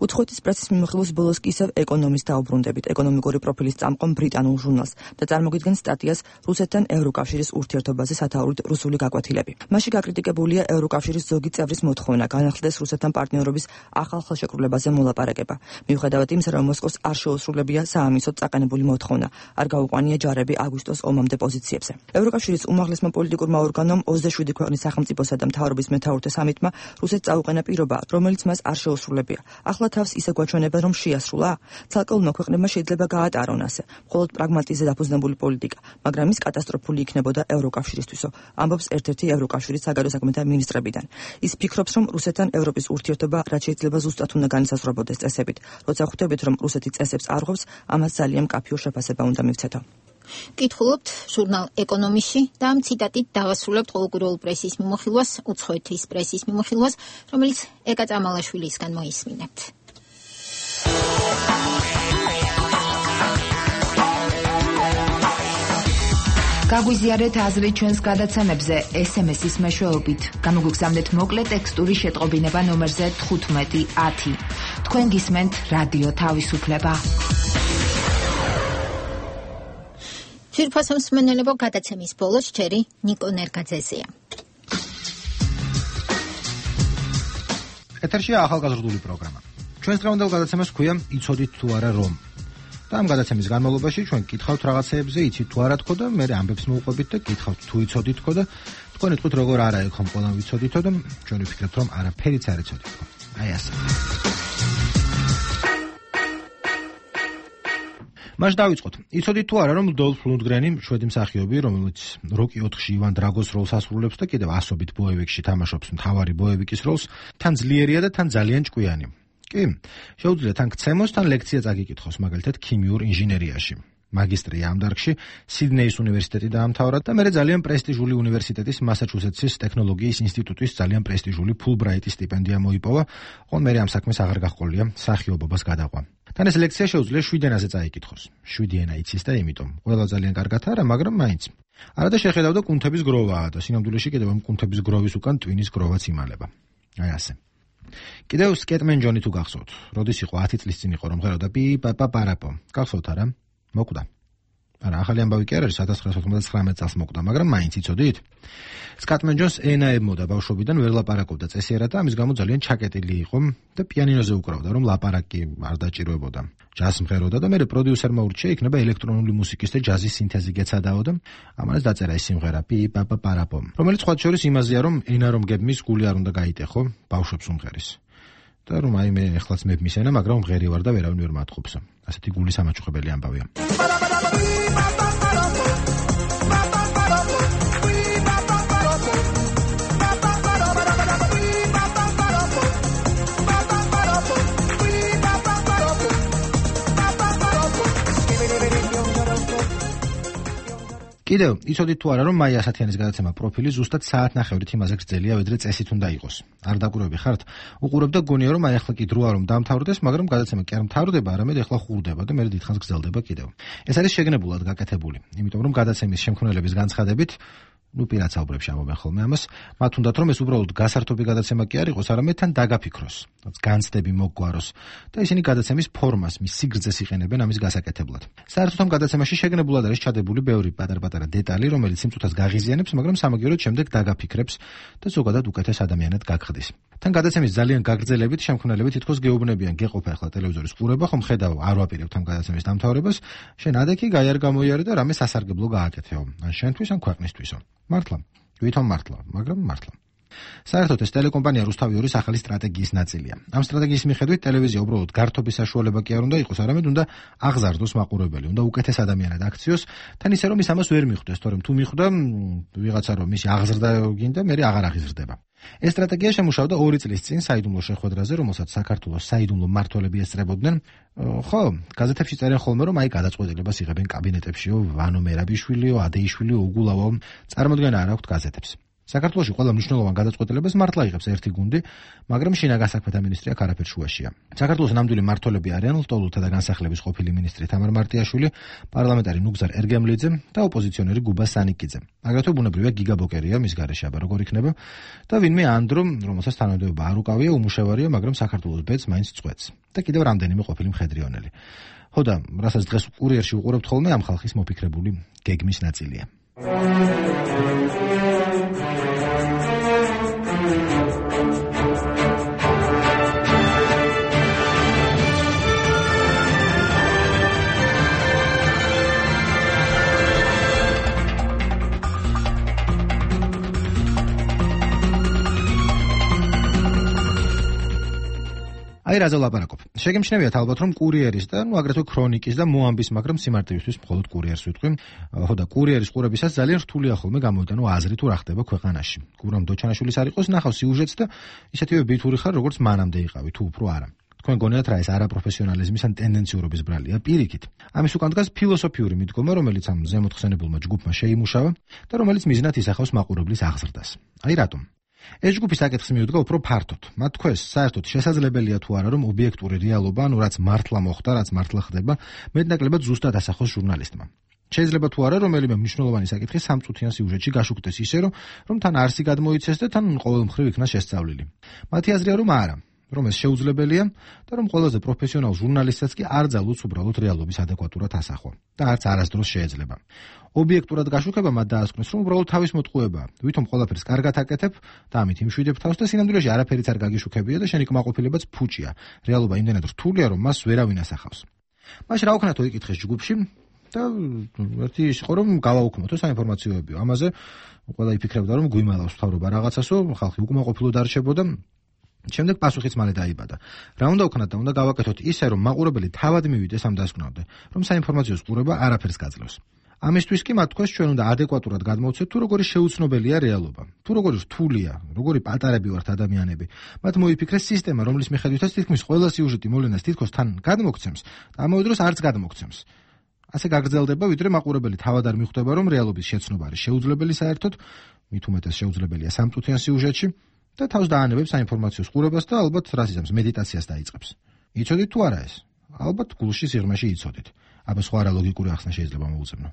უცხოეთის პრესის მიმოხილვის ბოლოს კი ისევ ეკონომისტს დაუბრუნდებით, ეკონომიკური პროფილის წამყვან ბრიტანულ ჟურნალს და წარმოგიდგენთ სტატიას რუსეთთან ევროკავშირის ურთიერთობაზე სათაურით რუსული გაკვეთილები. მასში გაკრიტიკებულია ევროკავშირის ზოგი წევრის მოთხოვნა განახლდეს რუსეთთან პარტნიორობის ახალ ხელშეკრულებაზე მოლაპარაკება. მიუხედავად იმისა, რომ მოსკოვს არ შეუსრულებია საამისოდ წაყენებული მოთხოვნა, არ გაუყვანია ჯარები აგვისტოს ომამდე პოზიციებზე. ევროკავშირის უმაღლესმა პოლიტიკურმა ორგანომ ოცდაშვიდი ქვეყნის სახელმწიფოსა და მთავრობის მეთაურთა სამიტმა რუსეთს წაუყენა პირობა, რომელიც მას არ შეუსრულებია. ახლა თავს ისე გვაჩვენებენ, რომ შეასრულა? ცალკეულმა ქვეყნებმა შეიძლება გაატარონ ასე, მხოლოდ პრაგმატიზმზე დაფუძნებული პოლიტიკა, მაგრამ ის კატასტროფული იქნებოდა ევროკავშირისთვისო, ამბობს ერთ-ერთი ევროკავშირის საგარეო საქმეთა მინისტრებიდან. ის ფიქრობს, რომ რუსეთთან ევროპის ურთიერთობა რაც შეიძლება ზუსტად უნდა განისაზღვრებოდეს წესებით. როცა ხვდებით, რომ რუსეთი წესებს არღვევს, ამას ძალიან მკაფიო შეფასება უნდა მივცეთო. კითხულობთ ჟურნალ ეკონომისტში და ამ ციტატით დავასრულებთ ყოველკვირეულ პრესის მიმოხილვას, უცხოეთის პრესის მიმოხილვას, რომელიც ეკა წამალაშვილისგან მოისმინებთ. გაგვიზიარეთ აზრი ჩვენს გადაცემებზე ეს ემ ეს-ის მეშვეობით. გამოგვიგზავნეთ მოკლე ტექსტური შეტყობინება ნომერზე თხუთმეტი ათი. თქვენ გისმენთ რადიო თავისუფლება. ძვირფასო მსმენელებო, გადაცემის ბოლოს ჯერი ნიკო ნერგაძეზეა. ეთერშია ახალგაზრდული პროგრამა. ჩვენს დღევანდელ გადაცემას ქვია იცოდით თუ არა რომ. და ამ გადაცემის განმავლობაში ჩვენ გითხავთ რაღაცეებზე, იცით თუ არა თქო და მე ამბებს მოვუყვებით და გითხავთ თუ იცოდით თქო და თქვენ იტყვით როგორ არა ეხომ ყველა ვიცოდითო და ჩვენ ვიფიქრებთ რომ არაფერიც არ იცოდით თქო. აი ასე. მას დავიწყოთ. იცოდით თუ არა რომ დოლფ ლუნდგრენი, შვედი მსახიობი, რომელიც როკი ოთხში ივან დრაგოს როლს ასრულებს და კიდევ ასობით ბოევიკში თამაშობს მთავარი ბოევიკის როლს, თან ძლიერია და თან ძალიან ჭკვიანი. კი, შეუძლია თან გცემოს, თან ლექცია წაგიკითხოს, მაგალითად ქიმიურ ინჟინერიაში. მაგისტრია ამ დარგში სიდნეის უნივერსიტეტი დაამთავრა და მერე ძალიან პრესტიჟული უნივერსიტეტის მასაჩუსეტსის ტექნოლოგიის ინსტიტუტის ძალიან პრესტიჟული ფულბრაიტის სტიპენდია მოიპოვა, ხოლო მერე ამ საქმეს აღარ გაჰყოლია მსახიობობას გადაყვა. თან ეს ლექცია შეუძლია შვიდ ენაზე წაიკითხოს. შვიდი ენა იცის და იმიტომ ყველა ძალიან კარგად არა, მაგრამ მაინც. არადა შეხედავდა კუნთების გროვაა და სინამდვილეში კიდევ ამ კუნთების გროვის უკან ტვინის გროვაც იმალება. აი ასე. კიდევ სკეტმენ ჯონი თუ გახსოვთ, როდის იყო ათი წლის წინ იყო რომ ხედავდა პი პაპა პარაპო. გახსოვთ არა? მოკვდა. არა, ახალი ამბავი კი არ არის, ათას ცხრაასი ოცდაათი წელს მოკვდა, მაგრამ მაინც იცოდით? სკატმენ ჯონს ენა ებმოდა ბავშვობიდან, ვერ ლაპარაკობდა წესიერად და ამის გამო ძალიან ჩაკეტილი იყო და პიანინოზე უკრავდა, რომ ლაპარაკი არ დაჭიროებოდა. ჯაზს მღეროდა და მერე პროდიუსერმა ურჩია იქნება ელექტრონული მუსიკის და ჯაზის სინთეზი გეცადაო და ამას დაწერა ეს სიმღერა პი პაპა პარაპო, რომელიც სხვა შორის იმაზეა, რომ ენა რომ გებმის გული არ უნდა გაიტეხო, ბავშვებს უმღერის. და რომ აი მე ეხლაც მებმის ენა, მაგრამ მღერი ვარ და ვერავინ ვერ მათხოვს. ასეთი გული სამაჩუხებელი ამბავია. კიდევ იცოდით თუ არა რომ მაია ასათიანის გადაცემა პროფილი ზუსტად საათნახევრით იმაზე გრძელია, ვიდრე წესით უნდა იყოს. არ დაკვირვები ხართ? უყურებ და გონია რომ აი ახლა კი დროა რომ დამთავრდეს, მაგრამ გადაცემა კი არ მთავრდება, არამედ ახლა ხურდება და მერე დიდხანს გრძელდება კიდევ. ეს არის შეგნებულად გაკეთებული, იმიტომ რომ გადაცემის შემქმნელების განცხადებით ნუ პირად საუბრებში ამობენ ხოლმე ამას, მათ უნდათ რომ ეს უბრალოდ გასართობი გადაცემა კი არ იყოს, არამედ თან დაგაფიქროს, განცდები მოგვაროს და ისინი გადაცემის ფორმას, მის სიგრძეს იყენებენ ამის გასაკეთებლად. საერთოდ ამ გადაცემაში შეგნებულად არის ჩადებული ბევრი პატარ-პატარა დეტალი, რომელიც სიმწუთას გაღიზიანებს, მაგრამ სამაგიეროდ შემდეგ დაგაფიქრებს და ზოგადად უკეთეს ადამიანად გაგხდის. თან გადაცემის ძალიან გაგრძელებით შემქმნელები თითქოს გეუბნებიან, გეყოფა ახლა ტელევიზორის ყურება, ხომ ხედავ, არ ვაპირებთ ამ გადაცემის დამთავრებას, შენ ადექი გაი არ გამოიარე და რამე სასარგებლო გააკეთეო, ან შენთვის, ან ქვეყნისთვისო. მართლა, ვითომ მართლა, მაგრამ მართლა. საერთოდ ეს ტელეკომპანია რუსთავი-ორის ახალი სტრატეგიის ნაწილია. ამ სტრატეგიის მიხედვით ტელევიზია უბრალოდ გართობის საშუალება კი არ უნდა იყოს, არამედ უნდა აღზარდოს მაყურებელი, უნდა უკეთეს ადამიანად აქციოს, თან ისე რომ ის ამას ვერ მიხვდეს, თორემ თუ მიხვდა ვიღაცა რომ მისი აღზრდა გინდა, მე აღარ აღიზრდება. ეს სტრატეგია შემუშავდა ორი წლის წინ საიდუმლო შეხვედრაზე, რომელსაც საქართველოს საიდუმლო მმართველები ესწრებოდნენ. ხო, გაზეთებში წერენ ხოლმე, რომ აი გადაწყვეტილებას იღებენ კაბინეტებშიო, ვანო მერაბიშვილიო, ადეიშვილიო, უგულავო, წარმოდგენა არ აქვთ გაზეთებს. საქართველოში ყველა მნიშვნელოვან გადაწყვეტილებას მართლა იღებს ერთი გუნდი, მაგრამ შინაგან საქმეთა მინისტრი აქ არაფერ შუაშია. საქართველოს ნამდვილი მმართველები არიან ლტოლვილთა და განსახლების ყოფილი მინისტრი თამარ მარტიაშვილი, პარლამენტარი ნუგზარ ერგემლიძე და ოპოზიციონერი გუბა სანიკიძე. აგრეთვე ბუნებრივია გიგა ბოკერია, მის გარეშე აბა როგორ იქნება და ვინმე ანდრო, რომელსაც თანამდებობა არ უკავია, უმუშევარია, მაგრამ საქართველოს ბედს მაინც წვეთს. და კიდევ რამდენიმე ყოფილი მხედრიონელი. ხო და რასაც დღეს კურიერში უყურებთ ხოლმე, ამ ხალხის მოფიქრებული გეგმის ნაწილია. აი რაზე ვლაპარაკობ. შეგემჩნევიათ ალბათ რომ კურიერის და ნუ აგრეთვე ქრონიკის და მოამბის, მაგრამ სიმარტივისთვის მხოლოდ კურიერს ვიტყვი. ხო და კურიერის ყურებისას ძალიან რთულია ხოლმე გამოვიტანო აზრი თუ რა ხდება ქვეყანაში. გურამ დოჩანაშვილის არ იყოს, ნახავ სიუჟეტს და ისეთივე ბითური ხარ, როგორც მანამდე იყავი, თუ უფრო არა. თქვენ გონიათ რა ეს არაპროფესიონალიზმის ან ტენდენციურობის ბრალია? პირიქით. ამის უკან დგას ფილოსოფიური მიდგომა, რომელიც ამ ზემოთხსენებულმა ჯგუფმა შეიმუშავა და რომელიც მიზნად ისახავს მაყურებლის აღზრდას. აი რატომ? ეს ჯგუფი საკითხს მიუდგა უფრო ფართოდ. მათ თქვეს, საერთოდ შესაძლებელია თუ არა, რომ ობიექტური რეალობა, ანუ რაც მართლა მოხდა, რაც მართლა ხდება, მეტნაკლებად ზუსტად ასახოს ჟურნალისტმა. შეიძლება თუ არა რომელიმე მნიშვნელოვანი საკითხი სამწუთიან სიუჟეტში გაშუქდეს ისე რომ რომ თან არსი გადმოიცეს და თან ყოველ მხრივ იქნას შესწავლილი. მათი აზრია რომ არა, რომ ეს შეუძლებელია და რომ ყველაზე პროფესიონალ ჟურნალისტსაც კი არ ძალუძს უბრალოდ რეალობის ადეკვატურად ასახვა და არც არასდროს შეეძლება. ობიექტურად გაშუქება მათ დაასკვნეს, რომ უბრალოდ თავის მოტყუებაა, ვითომ ყველაფერს კარგად აკეთებ და ამით იმშვიდებ თავს და სინამდვილეში არაფერიც არ გაგიშუქებია და შენი კმაყოფილებაც ფუჭია. რეალობა იმდენად რთულია, რომ მას ვერავინ ასახავს. მაშინ რა ვქნათო იკითხეს ჯგუფში და ერთი ის იყო რომ გავაუქმოთო საინფორმაციოები. ამაზე ყველა იფიქრებდა რომ გვიმალავს თავრობა რაღაცასო, ხალხი უკმაყოფილოდ არ რჩებოდა. შემდეგ პასუხიც მალე დაიბადა. რა უნდა ვქნათ და უნდა გავაკეთოთ ისე რომ მაყურებელი თავად მივიდეს ამ დასკვნამდე, რომ საინფორმაციო ყურება არაფერს გაძლევს. ამისთვის კი მათ თქოს ჩვენ უნდა ადეკვატურად გადმოვცეთ თუ როგორი შეუცნობელია რეალობა, თუ როგორი რთულია, როგორი პატარები ვართ ადამიანები. მათ მოიფიქრეს სისტემა, რომლის მიხედვითაც თითქმის ყველა სიუჟეტი მოვლენას თითქოს თან გადმოგცემს და ამავე დროს არც გადმოგცემს. ასე გაგრძელდება, ვიდრე მაყურებელი თავად არ მიხვდება, რომ რეალობის შეცნობა არის შეუძლებელი საერთოდ, მით უმეტეს შეუძლებელია სამწუთიან სიუჟეტში და თავს დაანებებს საინფორმაციო ყურებას და ალბათ რას იზამს მედიტაციას დაიწყებს. იცოდით თუ არა ეს? ალბათ გულში სიღრმეში იცოდით. აბა სხვა რა ლოგიკური ახსნა შეიძლება მოუწევნო.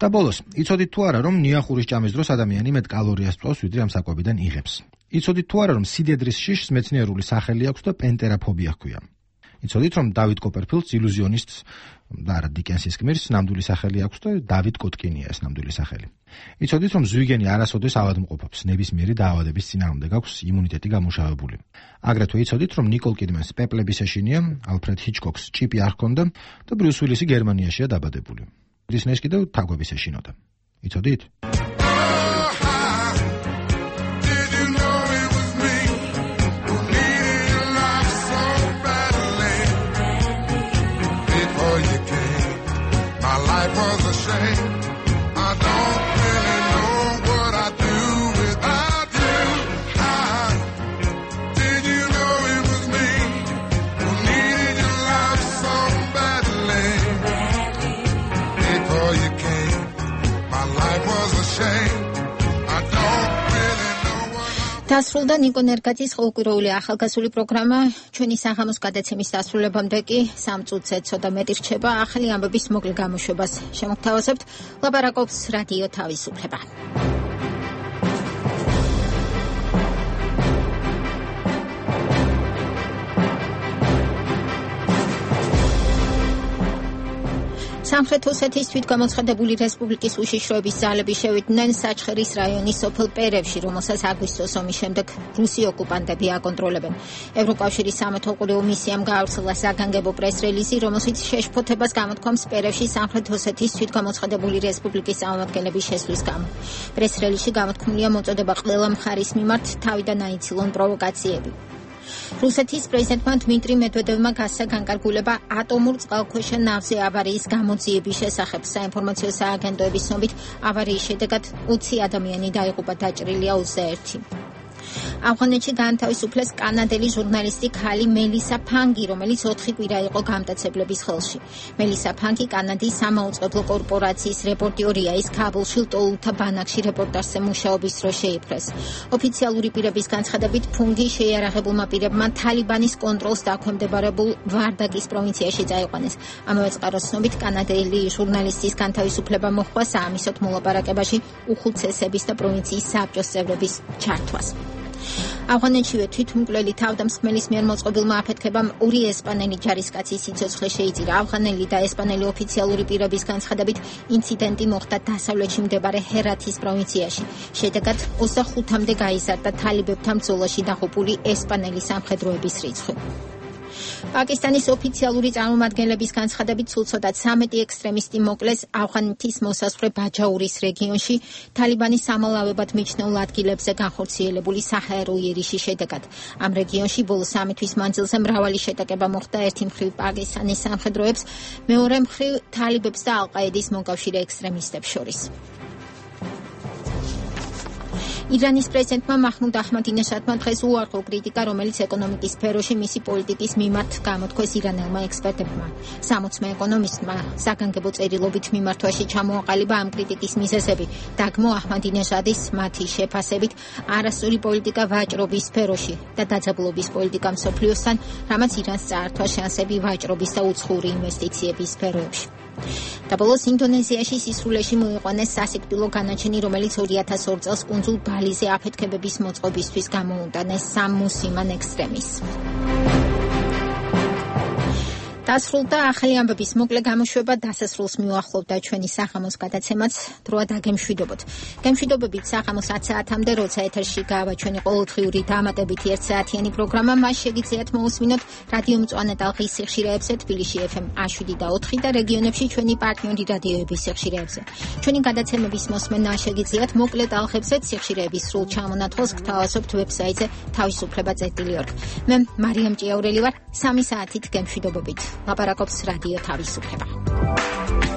და ბოლოს, იცოდით თუ არა, რომ ნიახურის ჭამის დროს ადამიანი მეტ კალორიას წვავს, ვიდრე ამ საკვებიდან იღებს. იცოდით თუ არა, რომ სიდედრის შიშს მეცნიერული სახელი აქვს და პენტერაფობია ჰქვია. იცოდით, რომ დავით კოპერფილდს ილუზიონისტს და არა დიკენსის გმირს ნამდვილი სახელი აქვს და დავით კოტკინია ეს ნამდვილი სახელი. იცოდით, რომ ზვიგენი არასოდეს ავადმყოფობს, ნებისმიერი დაავადების წინააღმდეგ აქვს იმუნიტეტი გამუშავებული. აგრეთვე იცოდით, რომ ნიკოლ კიდმენს პეპლების ეშინია, ალფრედ ჰიჩკოკს ჭიპი არ ჰქონდა და ბრიუს უილისი გერმანიაშია დაბადებული. დისნეის კიდევ თაგვების ეშინოდა. იცოდით? დასრულდა ნიკო ნერგაძის ყოველკვირეული ახალგაზრდული პროგრამა. ჩვენი საღამოს გადაცემის დასრულებამდე კი სამ წუთზე ცოტა მეტი რჩება ახალი ამბების მოკლე გამოშვებას. შემოგთავაზებთ ლაპარაკობს რადიო თავისუფლება. სამხრეთ ოსეთის თვითგამოცხადებული რესპუბლიკის უშიშროების ძალები შევიდნენ საჩხერის რაიონის სოფელ პერევში, რომელსაც აგვისტოს ომის შემდეგ რუსი ოკუპანტები აკონტროლებენ. ევროკავშირის სამეთვალყურეო მისიამ გაავრცელა საგანგებო პრეს-რელიზი, რომელშიც შეშფოთებას გამოთქვამს პერევში სამხრეთ ოსეთის თვითგამოცხადებული რესპუბლიკის წარმომადგენლების შესვლის გამო. პრეს-რელიზში გამოთქმულია მოწოდება ყველა მხარის მიმართ თავიდან აიცილონ პროვოკაციები. რუსეთის პრეზიდენტმა დმიტრი მედვედევმა გასცა განკარგულება ატომურ წყალქვეშა ნავზე ავარიის გამოძიების შესახებ. საინფორმაციო სააგენტოების ცნობით ავარიის შედეგად ოცი ადამიანი დაიღუპა, დაჭრილია ოცდაერთი. ავღანეთში გაანთავისუფლეს კანადელი ჟურნალისტი ქალი მელისა ფანგი, რომელიც ოთხი კვირა იყო გამტაცებლების ხელში. მელისა ფანგი კანადის სამაუწყებლო კორპორაციის რეპორტიორია, ის ქაბულში ლტოლთა ბანაკში რეპორტაჟზე მუშაობის დროს შეიპყრეს. ოფიციალური პირების განცხადებით ფუნგი შეიარაღებულმა პირებმა თალიბანის კონტროლს დაქვემდებარებულ ვარდაკის პროვინციაში წაიყვანეს. ამავე წყაროს ცნობით კანადელი ჟურნალისტის განთავისუფლება მოჰყვა საამისოდ მოლაპარაკებაში უხუცესების და პროვინციის საბჭოს წევრების ჩართვას. ავღანეთშივე თვითმკვლელი თავდამსხმელის მიერ მოწყობილმა აფეთქებამ ორი ესპანელი ჯარისკაცის სიცოცხლე შეიწირა. ავღანელი და ესპანელი ოფიციალური პირების განცხადებით ინციდენტი მოხდა დასავლეთში მდებარე ჰერათის პროვინციაში. შედეგად ოცდახუთამდე გაიზარდა თალიბებთან ბრძოლაში დაღუპული ესპანელი სამხედროების რიცხვი. პაკისტანის ოფიციალური წარმომადგენლების განცხადებით სულ ცოტა ცამეტი ექსტრემისტი მოკლეს ავღანეთის მოსაზღვრე ბაჯაურის რეგიონში თალიბანის სამალავებად მიჩნეულ ადგილებზე განხორციელებული საჰაერო იერიშის შედეგად. ამ რეგიონში ბოლო სამი თვის მანძილზე მრავალი შეტაკება მოხდა, ერთი მხრივ პაკისტანის სამხედროებს, მეორე მხრივ თალიბებს და ალ-ყაედის მოკავშირე ექსტრემისტებს შორის. ირანის პრეზიდენტმა მაჰმუდ აჰმადინეჟადმა დღეს უარყო კრიტიკა, რომელიც ეკონომიკის სფეროში მისი პოლიტიკის მიმართ გამოთქვეს ირანელმა ექსპერტებმა. სამოცმე ეკონომისტმა საგანგებო წერილობით მიმართვაში ჩამოაყალიბა ამ კრიტიკის მიზეზები. დაგმო აჰმადინეჟადის მათი შეფასებით არასწორი პოლიტიკა ვაჭრობის სფეროში და დაძაბულობის პოლიტიკა მსოფლიოსთან, რამაც ირანს წაართვა შანსები ვაჭრობის და უცხოური ინვესტიციების სფეროებში. და ბოლოს ინდონეზიაში სისრულეში მოიყვანეს სასიკვდილო განაჩენი, რომელიც ორი ათას ორ წელს კუნძულ ბალიზე აფეთქებების მოწყობისთვის გამოუტანეს სამ მუსლიმან ექსტრემისტს. დასრულდა ახალი ამბების მოკლე გამოშვება, დასასრულს მიუახლოვდა ჩვენი საღამოს გადაცემაც, დროა დაგემშვიდობოთ. გემშვიდობებით საღამოს ათ საათამდე, როცა ეთერში გავა ჩვენი ყოველდღიური დამატებითი ერთ საათიანი პროგრამა, მას შეგიძლიათ მოусმინოთ რადიო მწვანე ტალღის სიხშირეებზე, თბილისში ეფ ემ შვიდ და ოთხი და რეგიონებში ჩვენი პარტნიორი რადიოების სიხშირეებზე. ჩვენი გადაცემების მოსმენა შეგიძლიათ მოკლე ტალღებზეც, სიხშირეების სრულ ჩამონათვალს გთავაზობთ ვებსაიტზე თავისუფლება წერტილი ორგ. მე მარიამ ჭიაურელი ვარ, სამი საათით გემშვიდობებით. ლაპარაკობს რადიო თავისუფლება.